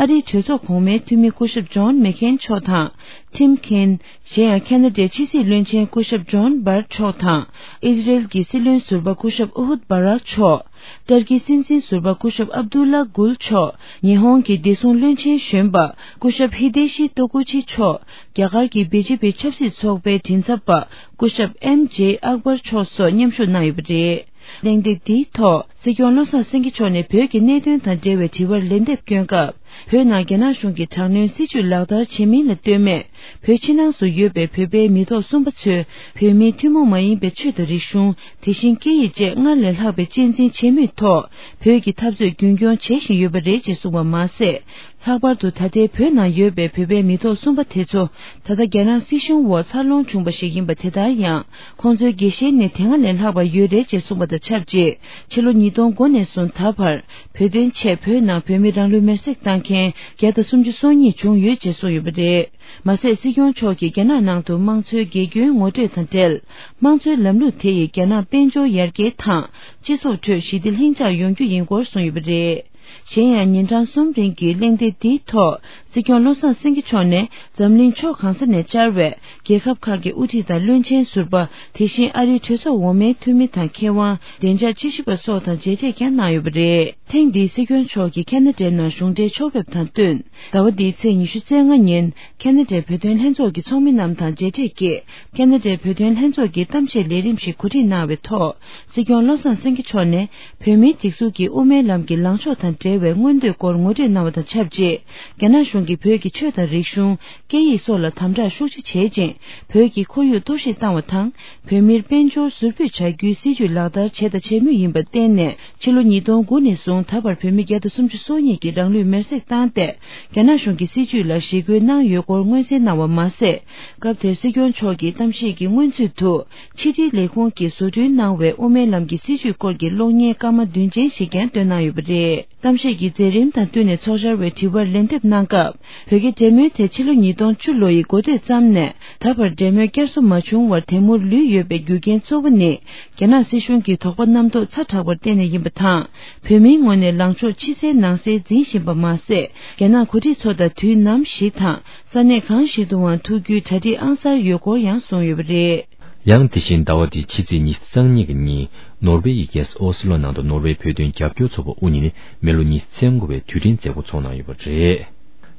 ཨ་རིའི་གྲོས་ཚོགས་གོང་མའི་འཐུས་མི་སྐུ་ཞབས་ཇོན་མེག་ཁེན་མཆོག་དང་། ཊིམ་ཁེན། གཞན་ཡང་ཁ་ན་ཌའི་ཕྱི་སྲིད་བློན་ཆེན་སྐུ་ཞབས་ཇོན་སྦར་མཆོག་དང་། ཨི་ཟི་རེལ་གྱི་སྲིད་བློན་ཟུར་པ་སྐུ་ཞབས་ཨུ་ཧུད་བྷ་རག་མཆོག་ཏར་ཀིའི་སྲིད་འཛིན་ཟུར་པ་སྐུ་ཞབས་ཨབ་དུ་ལ་གུལ་མཆོག་ཉི་ཧོང་གི་བདེ་སྲུང་བློན་ཆེན་གཞོན་པ་སྐུ་ཞབས་ཧི་དེ་ཤི་ཏོ་ཀུ་ཆི་མཆོག་རྒྱ་གར་གྱི་བི་ཇེ་པི་ཆབ་སྲིད་ཚོགས་པའི་མགྲིན་ཚབ་པ་སྐུ་ཞབས་ཨེམ་ཇེ་ཨག་བར་མཆོག་སོགས་མཉམ་ཞུགས་གནང་ཡོད་པ་རེད། གླེང་སྟེགས་འདིའི་ཐོག་སྲིད་སྐྱོང་བློ་བཟང་སེང་གེ་མཆོག་ནས་བོད་ཀྱི་གནད་དོན་དང་འབྲེལ་བའི་དྲི་བར་ལན་འདེབས་བསྐྱོན་སྐབས། བོད་ནང་རྒྱ་ནག་གཞུང་གིས་དྲག་གནོན་སྲིད་བྱུས་ལག་བསྟར་བྱེད་མིན་ལ་ལྟོས་མེད། བོད་ཕྱི་ནང་སུ་ཡོད་པའི་བོད་པའི་མི་ཐོག་གསུམ་པ་ཚོས་བོད་མིའི་ཐུན་མོང་མ་ཡིན་པའི་ཆོས་དང་རིག་གཞུང་། དེ་བཞིན་སྐད་ཡིག་བཅས་སྔར་ལས་ལྷག་པའི་གཅེས་འཛིན་བྱེད་མུས་ཐོག་བོད་ཀྱི་འཐབ་རྩོད་རྒྱུན་སྐྱོང་བྱེད་བཞིན་ཡོད་པ་རེད་ཅེས་གསུངས་པ་མ་ཟད། ལྷག་པར་དུ་ད་ལྟའི་བོད་ནང་ཡོད་པའི་བོད་པའི་མི་ཐོག་གསུམ་པ་དེ་ཚོ་ད་ལྟ་རྒྱ་ནག་སྲིད་གཞུང་འོག་འཚར་ལོངས་བྱུང་བ་ཞིག་ཡིན་པ་དེ་ལྟར་ཡང་། ཁོང་ཚོའི་དགེ་བཤེས་ནི་དེ་སྔ་ལས་ལྷག་པ་ཡོད་རེད་ཅེས་གསུངས་པ་དང་ཆབས་ཅིག་ཕྱི་ལོ་ཉིས་སྟོང་དགུ་ནས་བཟུང་ད་བར་བོད་དོན་ཆེད་བོད་ནང་བོད་མི་རང་ལུས་མེར་སྲེག་བཏང་མཁན་བརྒྱ་དང་སུམ་ཅུ་སོ་གཉིས་བྱུང་ཡོད་ཅེས་གསུངས་ཡོད་པ་རེད། མ་ཟད་སྲིད་སྐྱོང་མཆོག་གིས་རྒྱ་ནག་ནང་དུ་དམངས་གཙོའི་དགེ་སྐྱོན་ངོ་སྤྲོད་དང་འབྲེལ། དམངས་གཙོའི་ལམ་ལུགས་དེ་ཡིས་རྒྱ་ནག་དཔལ་འབྱོར་ཡར་རྒྱས་དང་སྤྱི་ཚོགས་ཁྲོད་ཞི་བདེ་ལྷིང་འཇགས་ཡོང་རྒྱུ་ཡིན་སྐོར་གསུངས་ཡོད་པ་རེད། གཞན་ཡང་ཉིན་གྲངས་གསུམ་རིང་གི་གླེང་སྟེགས་འདིའི་ཐོག་སྲིད་སྐྱོང་བློ་བཟང་སེང་གེ་མཆོག་ནས་འཛམ་གླིང་ཕྱོགས་གང་ས་ནས་བཅར་བའི་རྒྱལ་ཁབ་ཁག་གི་དབུ་ཁྲིད་དང་བློན་ཆེན་ཟུར་པ། དེ་བཞིན་ཨ་རིའི་གྲོས་ཚོགས་འོག་མའི་འཐུས་མི་དང་མཁས་དབང་། བདེ་འཇགས་དཔྱད་ཞིབ་པ་སོགས་དང་མཇལ་འཕྲད་ཀྱང་གནང་ཡོད་པ་རེད། ཐེངས་འདིའི་སྲིད་སྐྱོང་མཆོག་གིས་ཁ་ན་ཌའི་ནང་གཞུང་འབྲེལ་ཕྱོགས་ཕེབས་དང་བསྟུན། ཟླ་བ་འདིའི་ཚེས་ཉི་ཤུ་རྩ་ལྔ་ཉིན་ཁ་ན་ཌའི་བོད་དོན་ལྷན་ཚོགས་ཀྱི་ཚོགས་མི་རྣམས་དང་མཇལ་འཕྲད་ཀྱིས། ཁ་ན་ཌའི་བོད་དོན་ལྷན་ཚོགས་ཀྱི་གཏམ་བཤད་ལས་རིམ་ཞིག་གོ་སྒྲིག་གནང་བའི་ཐོག་སྲིད་སྐྱོང་བློ་བཟང་སེང་གེ་མཆོག་ནས། བོད་མིའི་སྒྲིག་འཛུགས་ཀྱི་དབུ་མའི་ལམ་གྱི་ལངས་ཕྱོགས་དང་འབྲེལ་བའི་མངོན་འདོད་སྐོར་ངོ་སྤྲོད་གནང་བ་དང་ཆབས་ཅིག་རྒྱ་ནག་གཞུང་གིས་བོད་ཀྱི་ཆོས་དང་རིག་གཞུང་། སྐད་ཡིག་སོགས་ལ་དམ་དྲག་ཤུགས་ཆེ་བྱེད་ཅིང་། བོད་ཀྱི་ཁོར་ཡུག་གཏོར་བཤིག་བཏང་བ་དང་། བོད་མིར་དཔལ་འབྱོར་ཟུར་ཕུད་བྱ་རྒྱུའི་སྲིད་ཇུས་ལག་བསྟར་བྱས་དང་བྱེད་མུས་ཡིན་པར་བརྟེན་ནས། ཕྱི་ལོ་ཉིས་སྟོང་དགུ་ནས་བཟུང་ད་བར་བོད་མི་བརྒྱ་དང་སུམ་ཅུ་སོ་གཉིས་ཀྱིས་རང་ལུས་མེར་སྲེག་བཏང་སྟེ། རྒྱ་ནག་གཞུང་གི་སྲིད་ཇུས་ལ་ཞི་རྒོལ་གནང་ཡོད་སྐོར་མངོན་གསལ་གནང་བ་མ་ཟད། སྐབས་དེར་སྲིད་སྐྱོང་མཆོག་གིས་གཏམ་བཤད་ཀྱི་སྔོན་ཚུད་དུ། ཕྱི་དྲིལ་ལས་ཁུངས་ཀྱིས་བཟོ་སྐྲུན་གནང་བའི་དབུ་མའི་ལམ་གྱི་སྲིད་ཇུས་སྐོར་གྱི་གློག་བརྙན་སྐར་མ་བདུན་ཅན་ཞིག་ཀྱང་བཏོན་གནང་ཡོད་པ་རེད། གཏམ་བཤད་ཀྱི་མཛད་རིམ་དང་བསྟུན་ནས་ཚོགས་བཅར་བའི་དྲི་བར་ལན་འདེབས་གནང་སྐབས། བོད་རྒྱ་འབྲེལ་མོལ་དེ་ཕྱི་ལོ་ཉིས་སྟོང་བཅུ་ལོ་ཡི་འགོ་སྟོད་ཙམ་ནས་ད་བར་འབྲེལ་མོལ་བསྐྱར་གསོ་མ་བྱུང་བར་དེ་མུར་ལུས་ཡོད་པའི་རྒྱུ་རྐྱེན་གཙོ་བོ་ནི། རྒྱ་ནག་སྲིད་གཞུང་གི་དོགས་པ་རྣམ་རྟོག་ཚ་དྲགས་པར་བརྟེན་ནས་ཡིན་པ་དང་། བོད་མིའི་ངོས་ནས་ལངས་ཕྱོགས་ཕྱི་གསལ་ནང་གསལ་འཛིན་བཞིན་པ་མ་ཟད། རྒྱ་ནག་འགོ་ཁྲིད་ཚོ་དང་དུས་ནམ་ཞིག་དང་ས་གནས་གང་ཞིག་ཏུའང་ཐུག་རྒྱུའི་གྲ་སྒྲིག་ཨང་གསར་ཡོད་སྐོར་ཡང་གསུངས་ཡོད་པ་རེད། ཡང་དེ་བཞིན་ཟླ་བ་འདིའི་ཕྱི་ཚེས་ཉི་ཤུ་རྩ་གཉིས་ཀྱི་ཉིན་ནོར་ཝེ་ཡི་རྒྱལ་ས་ཨོ་སི་ལོ་ནང་དུ་ནོར་ཝེ་བོད་དོན་རྒྱབ་སྐྱོར་ཚོགས་པ་དབུ་བརྙེས་ནས་མི་ལོ་ཉི་ཤུ་རྩ་དགུ་པའི་དུས་དྲན་མཛད་སྒོ་འཚོགས་གནང་ཡོད་པ་རེད།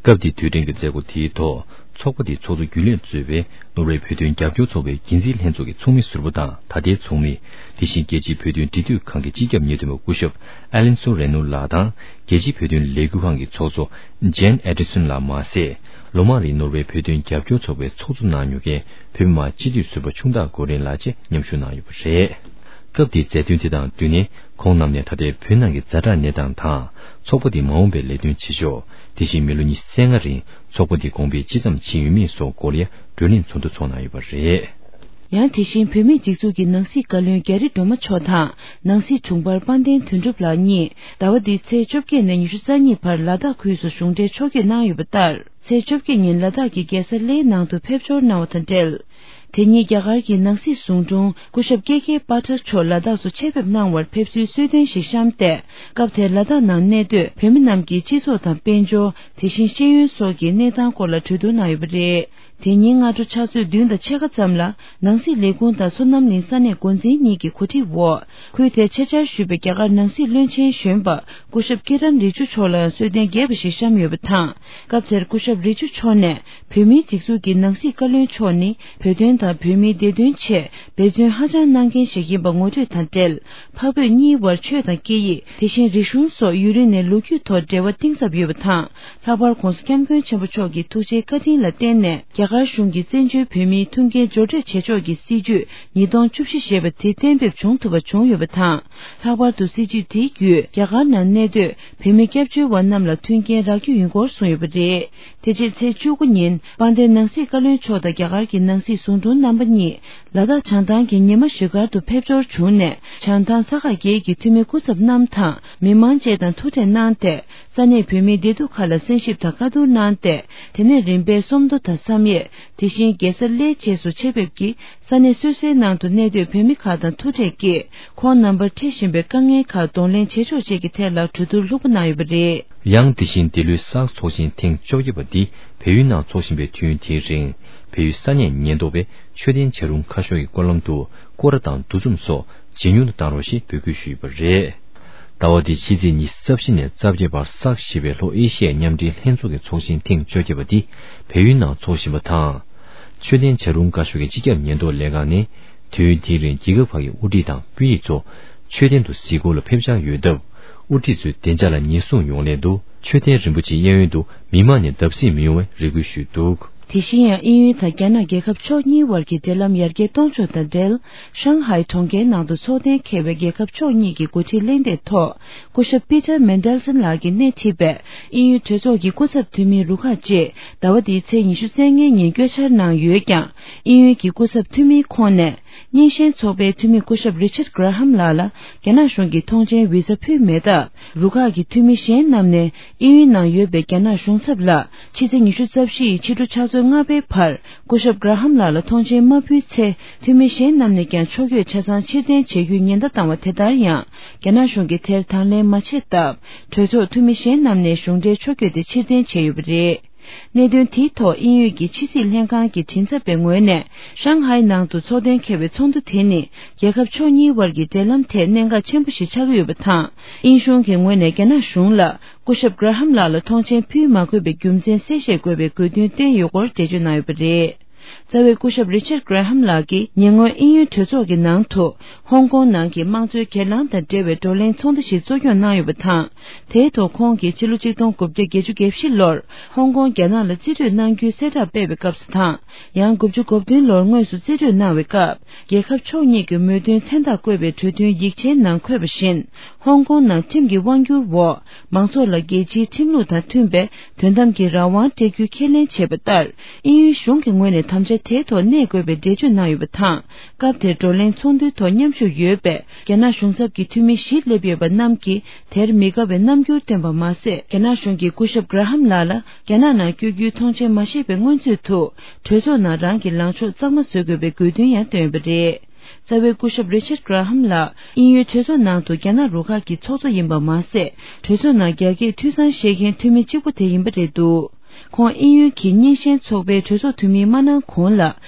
སྐབས་དེའི་དུས་དྲན་གྱི་མཛད་སྒོ་དེའི་ཐོག་ཚོགས་པ་དེའི་ཚོགས་གཙོ་རྒྱུན་ལས་གཙོས་པའི་ནོར་ཝེ་བོད་དོན་རྒྱབ་སྐྱོར་ཚོགས་པའི་འགན་འཛིན་ལྷན་ཚོགས་ཀྱི་ཚོགས་མི་ཟུར་པ་དང་ད་ལྟའི་ཚོགས་མི། དེ་བཞིན་རྒྱལ་སྤྱིའི་བོད་དོན་འབྲེལ་མཐུད་ཁང་གི་སྤྱི་ཁྱབ་ཉེས་དོན་པ་སྐུ་ཞབས་ཨ་ལན་སོ་རེ་ནོ་ལགས་དང་། རྒྱལ་སྤྱིའི་བོད་དོན་ལས་འགུལ་ཁང་གི་ཚོགས་གཙོ་ཇེན་ཨེ་ཌི་སོན་ལགས་མ་ཟད། ལོ་མང་རིང་ནོར་ཝེ་བོད་དོན་རྒྱབ་སྐྱོར་ཚོགས་པའི་ཚོགས་གཙོ་གནང་མྱོང་མཁན་བོད་མི་མང་སྤྱི་འཐུས་ཟུར་པ་ཆུང་བདག་ཀོ་རིན་ལགས་བཅས་མཉམ་ཞུགས་གནང་ཡོད་པ་རེད། སྐབས་དེའི་མཛད་དོན་དེ་དང་བསྟུན་ནས་ཁོང་རྣམས་ནས་ད་ལྟའི་བོད་ནང་གི་ཛ་དྲག་གནས་སྟངས་དང་། ཚོགས་པ་དེའི་མ་འོངས་པའི་ལས་དོན་བྱེད་ཕྱོགས། དེ་བཞིན་མི་ལོ་ཉི་ཤུ་རྩ་ལྔ་རིང་ཚོགས་པ་དེ་གོང་འཕེལ་ཇི་ཙམ་ཕྱིན་ཡོད་མེད་སོགས་སྐོར་ལ་བགྲོ་གླེང་ཚོགས་འདུ་འཚོགས་གནང་ཡོད་པ་རེད། ཡང་དེ་བཞིན་བོད་མིའི་སྒྲིག་འཛུགས་ཀྱི་ནང་སྲིད་བཀའ་བློན་རྒྱ་རི་སྒྲོལ་མ་མཆོག་དང་ནང་སྲིད་དྲུང་འཕར་དཔལ་ལྡན་དོན་གྲུབ་ལགས་གཉིས་ཟླ་བ་འདིའི་ཚེས་བཅོ་བརྒྱད་ནས་ཉི་ཤུ་རྩ་གཉིས་བར་ལ་དྭགས་ཁུལ་སུ་གཞུང་འབྲེལ་ཕྱོགས་བསྐྱོད་གནང་ཡོད་པ་ལྟར། ཚེས་བཅོ་བརྒྱད་ཉིན་ལ་དྭགས་ཀྱི་རྒྱལ་ས་གླེའི་ནང་དུ་ཕེབས་འབྱོར་གནང་བ་དང་འབྲེལ། དེ་ཉིན་རྒྱ་གར་གྱི་ནང་སྲིད་ཟུང་དྲུང་སྐུ་ཞབས་ཀེ་ཀེ་པ་ཊག་མཆོག་ལ་དྭགས་སུ་ཆེད་ཕེབས་གནང་བར་ཕེབས་བསུའི་གསོལ་སྟོན་ཞིག་བཤམས་ཏེ། སྐབས་དེར་ལ་དྭགས་ནང་གནས་སྡོད་བོད་མི་རྣམས་ཀྱི་སྤྱི་ཚོགས་དང་དཔལ་འབྱོར། དེ་བཞིན་ཤེས་ཡོན་སོགས་ཀྱི་གནས་སྟངས་སྐོར་ལ་གྲོས་བསྡུར་གནང་ཡོད་པ་རེད། དེ་ཉིན་སྔ་དྲོ་ཕྱག་ཚོད་བདུན་དང་ཕྱེད་ཀ་ཙམ་ལ་ནང་སྲིད་ལས་ཁུངས་དང་སོ་ནམ་གླིང་ས་གནས་འགོ་འཛིན་གཉིས་ཀྱི་གོ་སྒྲིག་འོག་ཁུལ་དེར་ཆེད་བཅར་ཞུས་པའི་རྒྱ་གར་ནང་སྲིད་བློན་ཆེན་གཞོན་པ་སྐུ་ཞབས་ཀི་རན་རི་ཇུ་མཆོག་ལ་ཡང་གསོལ་སྟོན་རྒྱས་པ་ཞིག་བཤམས་ཡོད་པ་དང་། སྐབས་དེར་སྐུ་ཞབས་རི་ཇུ་མཆོག་ནས་བོད་མིའི་སྒྲིག་འཛུགས་ཀྱི་ནང་སྲིད་བཀའ་བློན་མཆོག་ནི་བོད་དོན་དང་བོད་མིའི་བདེ་དོན་ཆེད་འབད་བརྩོན་ཧ་ཅང་གནང་མཁན་ཞིག་ཡིན་པ་ངོ་སྤྲོད་དང་འབྲེལ། འཕགས་བོད་གཉིས་དབར་ཆོས་དང་སྐད་ཡིག་དེ་བཞིན་རིག་གཞུང་སོགས་ཡུན་རིང་ནས་ལོ་རྒྱུས་ཐོག་འབྲེལ་བ་གཏིང་ཟབ་ཡོད་པ་དང་། ལྷག་པར་༧གོང་ས་༧སྐྱབས་མགོན་ཆེན་པོ་མཆོག་གི་ཐུགས་རྗེའི་བཀའ་དྲིན་ལ་བརྟེན་ནས་རྒྱ་གར་གཞུང་གིས་བཙན་བྱོལ་བོད་མིའི་ཐུགས་འགན་སྦྱོར་སྤྲོད་བྱེད་ཕྱོགས་ཀྱི་སྲིད་ཇུས་ཉིས་སྟོང་བཅུ་བཞི་ཞེས་པ་དེ་གཏན་འབེབས་བྱུང་ཐུབ་པ་བྱུང་ཡོད་པ་དང་། ལྷག་པར་དུ་སྲིད་ཇུས་དེའི་བརྒྱུད་རྒྱ་གར་ནང་གནས་སྡོད་བོད་མི་སྐྱབས་བཅོལ་བ་རྣམས་ལ་མཐུན་རྐྱེན་རག་རྒྱུ་ཡིན་སྐོར་གསུངས་ཡོད་པ་རེད། དེ་རྗེས་ཚེས་བཅུ་དགུ་ཉིན་དཔལ་ལྡན་ནང་སྲིད་བཀའ་བློན་མཆོག་དང་རྒྱ་གར་གྱི་ནང་སྲིད་ཟུང་དྲུང་རྣམ་པ་གཉིས་ལ་དྭགས་བྱང་ཐང་གི་ཉི་མ་བཞུགས་སྒར་དུ་ཕེབས་འབྱོར་བྱུང་ནས། བྱང་ཐང་ས་ཁག་བརྒྱད་ཀྱི་འཐུས་མི་སྐུ་ཚབ་རྣམས་དང་མི་མང་བཅས་དང་ཐུག་འཕྲད་གནང་སྟེ། ས་གནས་བོད་མིའི་བདེ་སྡུག་ཁག་ལ་གསན་ཞིབ་དང་བཀའ་བསྡུར་གནང་སྟེ། དེ་ནས་རིམ་པས་སུམ་མདོ་དང་བསམ་ཡས། དེ་བཞིན་རྒྱལ་ས་གླེ་བཅས་སུ་ཆེད་ཕེབས་ཀྱིས་ས་གནས་སོ་སོའི་ནང་དུ་གནས་སྡོད་བོད་མི་ཁག་དང་ཐུག་འཕྲད་ཀྱིས། ཁོང་རྣམ་པར་འཕྲད་བཞིན་པའི་དཀའ་ངལ་ཁག་གདོང་ལེན་བྱེད་ཕྱོགས་བཅས་ཀྱི་ཐད་ལ་གྲོས་བསྡུར་ལྷུག་པོ་གནང་ཡོད་པ་རེད། ཡང་དེ་བཞིན་འདི་ལོའི་སཱག་ཚོགས་ཆེན་ཐེངས་བཅོ་བརྒྱད་པ་འདི་བལ་ཡུལ་ནང་འཚོགས་བཞིན་པའི་དུས་ཡུན་དེའི་རིང་། བལ་ཡུལ་ས་གནས་ཉེན་རྟོག་པས་མཆོད་རྟེན་བྱ་རུང་ཁ་ཤོར་གྱི་སྐོར་ལམ་དུ་སྐོར་ར་དང་འདུ་འཛོམས་སོགས་ཇེ་ཉུང་དུ་བཏང་རོགས་ཞེས་འབོད་སྐུལ་ཞུས་ཡོད་པ་རེད། ཟླ་བ་འདིའི་ཕྱི་ཚེས་ཉི་ཤུ་རྩ་བཞི་ནས་རྩ་བརྒྱད་བར་སཱག་ཞེས་པའི་ལྷོ་ཨེ་ཤི་ཡའི་མཉམ་འབྲེལ་ལྷན་ཚོགས་ཀྱི་ཚོགས་ཆེན་ཐེངས་བཅོ་བརྒྱད་པ་འདི་བལ་ཡུལ་ནང་འཚོགས་བཞིན་པ་དང་། མཆོད་རྟེན་བྱ་རུང་བཀའ་ཤོག་གི་སྤྱི་ཁྱབ་ཉེན་རྟོག་ལས་ཁང་ནས། དུས་ཡུན་དེའི་རིང་རྒྱལ་ཁབ་ཁག་གི་དབུ་ཁྲིད་དང་དཔོན་རིགས་ཚོ་མཆོད་རྟེན་དུ་གཟིགས་སྐོར་ལ་ཕེབས་འཆར་ཡོད་སྟབས། དབུ་ཁྲིད་ཚོས་བདེ་འཇགས་ལ་ཉེན་སྲུང་ཡོང་སླད་དུ། མཆོད་རྟེན་རིན་པོ་ཆེའི་གཡས་གཡོན་དུ་མི་མང་ནས་བརྡབ་གསིག་མི་ཡོང་བའི་རེ་སྐུལ་ཞུས་འདུག། དེ་བཞིན་ཡང་དབྱིན་ཡུལ་དང་རྒྱ་ནག་རྒྱལ་ཁབ་ཕྱོགས་གཉིས་དབར་གྱི་འབྲེལ་ལམ་ཡར་རྒྱས་གཏོང་ཕྱོགས་དང་འབྲེལ། ཧྲང་ཧའེ་གྲོང་ཁྱེར་ནང་དུ་ཚོགས་གཏན་འཁེལ་བའི་རྒྱལ་ཁབ་ཕྱོགས་གཉིས་ཀྱི་འགོ་ཁྲིད་གླེང་སྟེགས་ཐོག་སྐུ་ཞབས་པི་ཏར་མན་ཌེལ་སན་ལགས་ཀྱིས་སྣེ་ཁྲིད་པའི་དབྱིན་ཡུལ་གྲོས་ཚོགས་ཀྱི་སྐུ་ཚབ་འཐུས་མིའི་རུ་ཁག་ཅིག་ཟླ་བ་འདིའི་ཚེས་ཉི་ཤུ་རྩ་ལྔའི་ཉིན་བསྐྱོད་འཆར་གནང་ཡོད་ཀྱང་། དབྱིན་ཡུལ་གྱི་སྐུ་ཚབ་འཐུས་མིའི་ཁོངས་ནས། རྙིང་ཞེན་ཚོགས་པའི་འཐུས་མི་སྐུ་ཞབས་རི་ཆར་ཌ་གྷ་ར་ཧམ་ལགས་ལ་རྒྱ་ནག་གཞུང་གིས་ཐོངས་མཆན་བི་ཛ་ཕུལ་མེད་སྟབས། རུ་ཁག་གི་འཐུས་མི་གཞན་རྣམས་ནས་དབྱིན་ཡུལ་ནང་ཡོད་པའི་རྒྱ་ནག་གཞུང་ཚབ་ལ་ཕྱི་ཚེས་ཉི་ཤུ་རྩ་བཞི་ཡི་ཕྱི་དྲོ་ཕྱག་ཚོད། ཚོད་ལྔ་པའི་བར་སྐུ་ཞབས་གྷ་ར་ཧམ་ལགས་ལ་ཐོངས་མཆན་མ་ཕུལ་ཚེ། འཐུས་མི་གཞན་རྣམས་ནས་ཀྱང་ཕྱོགས་བསྐྱོད་ཆ་ཚང་ཕྱིར་འཐེན་བྱེད་རྒྱུའི་ཉེན་བརྡ་བཏང་བ་དེ་ལྟར་ཡང་། རྒྱ་ནག་གཞུང་གིས་དེར་དང་ལེན་མ་བྱས་སྟབས། གྲོས་ཚོགས་འཐུས་མི་གཞན་རྣམས་ནས་གཞུང་འབྲེལ་ཕྱོགས་བསྐྱོད་དེ་ཕྱིར་འཐེན་བྱས་ཡོད་པ་རེད། གནད་དོན་དེའི་ཐོག་དབྱིན་ཡུལ་གྱི་ཕྱི་སྲིད་ལྷན་ཁང་གི་མགྲིན་ཚབ་པའི་ངོས་ནས། ཧྲང་ཧའེ་ནང་དུ་འཚོགས་གཏན་འཁེལ་བའི་ཚོགས་འདུ་དེ་ནི། རྒྱལ་ཁབ་ཕྱོགས་གཉིས་དབར་གྱི་འབྲེལ་ལམ་ཐད་གནད་འགག་ཆེན་པོ་ཞིག་ཆགས་ཀྱི་ཡོད་པ་དང་། དབྱིན་གཞུང་གི་ངོས་ནས་རྒྱ་ནག་གཞུང་ལ། སྐུ་ཞབས་གྷ་ར་ཧམ་ལགས་ལ་ཐོངས་མཆན་ཕུལ་མ་དགོས་པའི་རྒྱུ་མཚན་གསལ་བཤད་དགོས་པའི་དགོས་འདུན་བསྟན་ཡོད་སྐོར་འགྲེལ་བརྗོད་གནང་ཡོད་པ་རེད། རྩ་བའི་སྐུ་ཞབས་རི་ཆར་གྷ་ར་ཧམ་ལགས་ཀྱིས་ཉེ་སྔོན་དབྱིན་ཡུལ་གྲོས་ཚོགས་ཀྱི་ནང་དུ། ཧོང་ཀོང་ནང་གི་དམངས་གཙོའི་སྒེར་ལངས་དང་འབྲེལ་བའི་བགྲོ་གླེང་ཚོགས་འདུ་ཞིག་གཙོ་སྐྱོང་གནང་ཡོད་པ་དང་། དེའི་ཐོག་ཁོང་གིས་ཕྱི་ལོ་ཆིག་སྟོང་དགུ་བརྒྱ་བརྒྱད་ཅུ་གྱ་བཞི་ལོར་ཧོང་ཀོང་རྒྱ་ནག་ལ་རྩིས་སྤྲོད་གནང་རྒྱུའི་གསལ་བསྒྲགས་སྤེལ་བའི་སྐབས་སུ་དང་། ཡང་དགུ་བཅུ་གོ་བདུན་ལོར་དངོས་སུ་རྩིས་སྤྲོད་གནང་བའི་སྐབས། རྒྱལ་ཁབ་ཕྱོགས་གཉིས་ཀྱི་མོས་མཐུན་མཚན་རྟགས་བཀོད་པའི་གྲོས་མཐུན་ཡིག་ཆའི་ནང་འཁོད་པ་བཞིན། ཧོང་ཀོང་ནང་ཁྲིམས་ཀྱི་དབང་སྒྱུར་འོག་མང་ཚོགས་ལ་རྒྱལ་སྤྱིའི་ཁྲིམས་ལུགས་དང་མཐུན་པའི་དོན་དམ་གྱི་རང་དབང་སྤྲད་རྒྱུའི་ཁས་ལེན་བྱས་པ་ལྟར། དབྱིན་ཡུལ་གཞུང་གི་ངོས་ནས་དམ་བཅའ་དེའི་ཐོག་གནས་དགོས་པའི་འགྲེལ་བརྗོད་གནང་ཡོད་པ་དང་། སྐབས་དེར་བགྲོ་གླེང་ཚོགས་འདུའི་ཐོག་མཉམ་ཞུགས་ཡོད་པའི་རྒྱ་ནག་གཞུང་ཚབ་ཀྱི་འཐུས་མི་བཞི་སླེབས་ཡོད་པ་རྣམས་ཀྱིས། དེར་མི་དགའ་བའི་རྣམ་འགྱུར་བསྟན་པ་མ་ཟད། རྒྱ་ནག་གཞུང་གིས་སྐུ་ཞབས་གྷ་ར་ཧམ་ལགས་ལ། རྒྱ་ནག་ནང་བསྐྱོད་རྒྱུའི་ཐོངས་མཆན་མ་བཞེས་པའི་སྔོན་ཚུད་དུ། གྲོས་ཚོགས་ནང་རང་གི་ལངས་ཕྱོགས་གཙང་མ་བཟོ་དགོས་པའི་དགོས་འདུན་ཡང་བཏོན་ཡོད་པ་རེད། རྩ་བའི་སྐུ་ཞབས་རི་ཆར་གྷ་ར་ཧམ་ལགས་དབྱིན་ཡུལ་གྲོས་ཚོགས་ནང་དུ་རྒྱ་ནག་རུ་ཁག་གི་ཚོགས་གཙོ་ཡིན་པ་མ་ཟད། གྲོས་ཚོགས་ནང་རྒྱ་སྐད་ཐོས་བསམ་བཞེས་མཁན་འཐུས་མི་གཅིག་པུ་དེ་ཡིན་པ་རེད་འདུག་ཁོང་དབྱིན་ཡུལ་གྱི་རྙིང་ཞེན་ཚོགས་པའི་གྲོས་ཚོགས་འཐུས་མི་མ་གནང་གོང་ལ།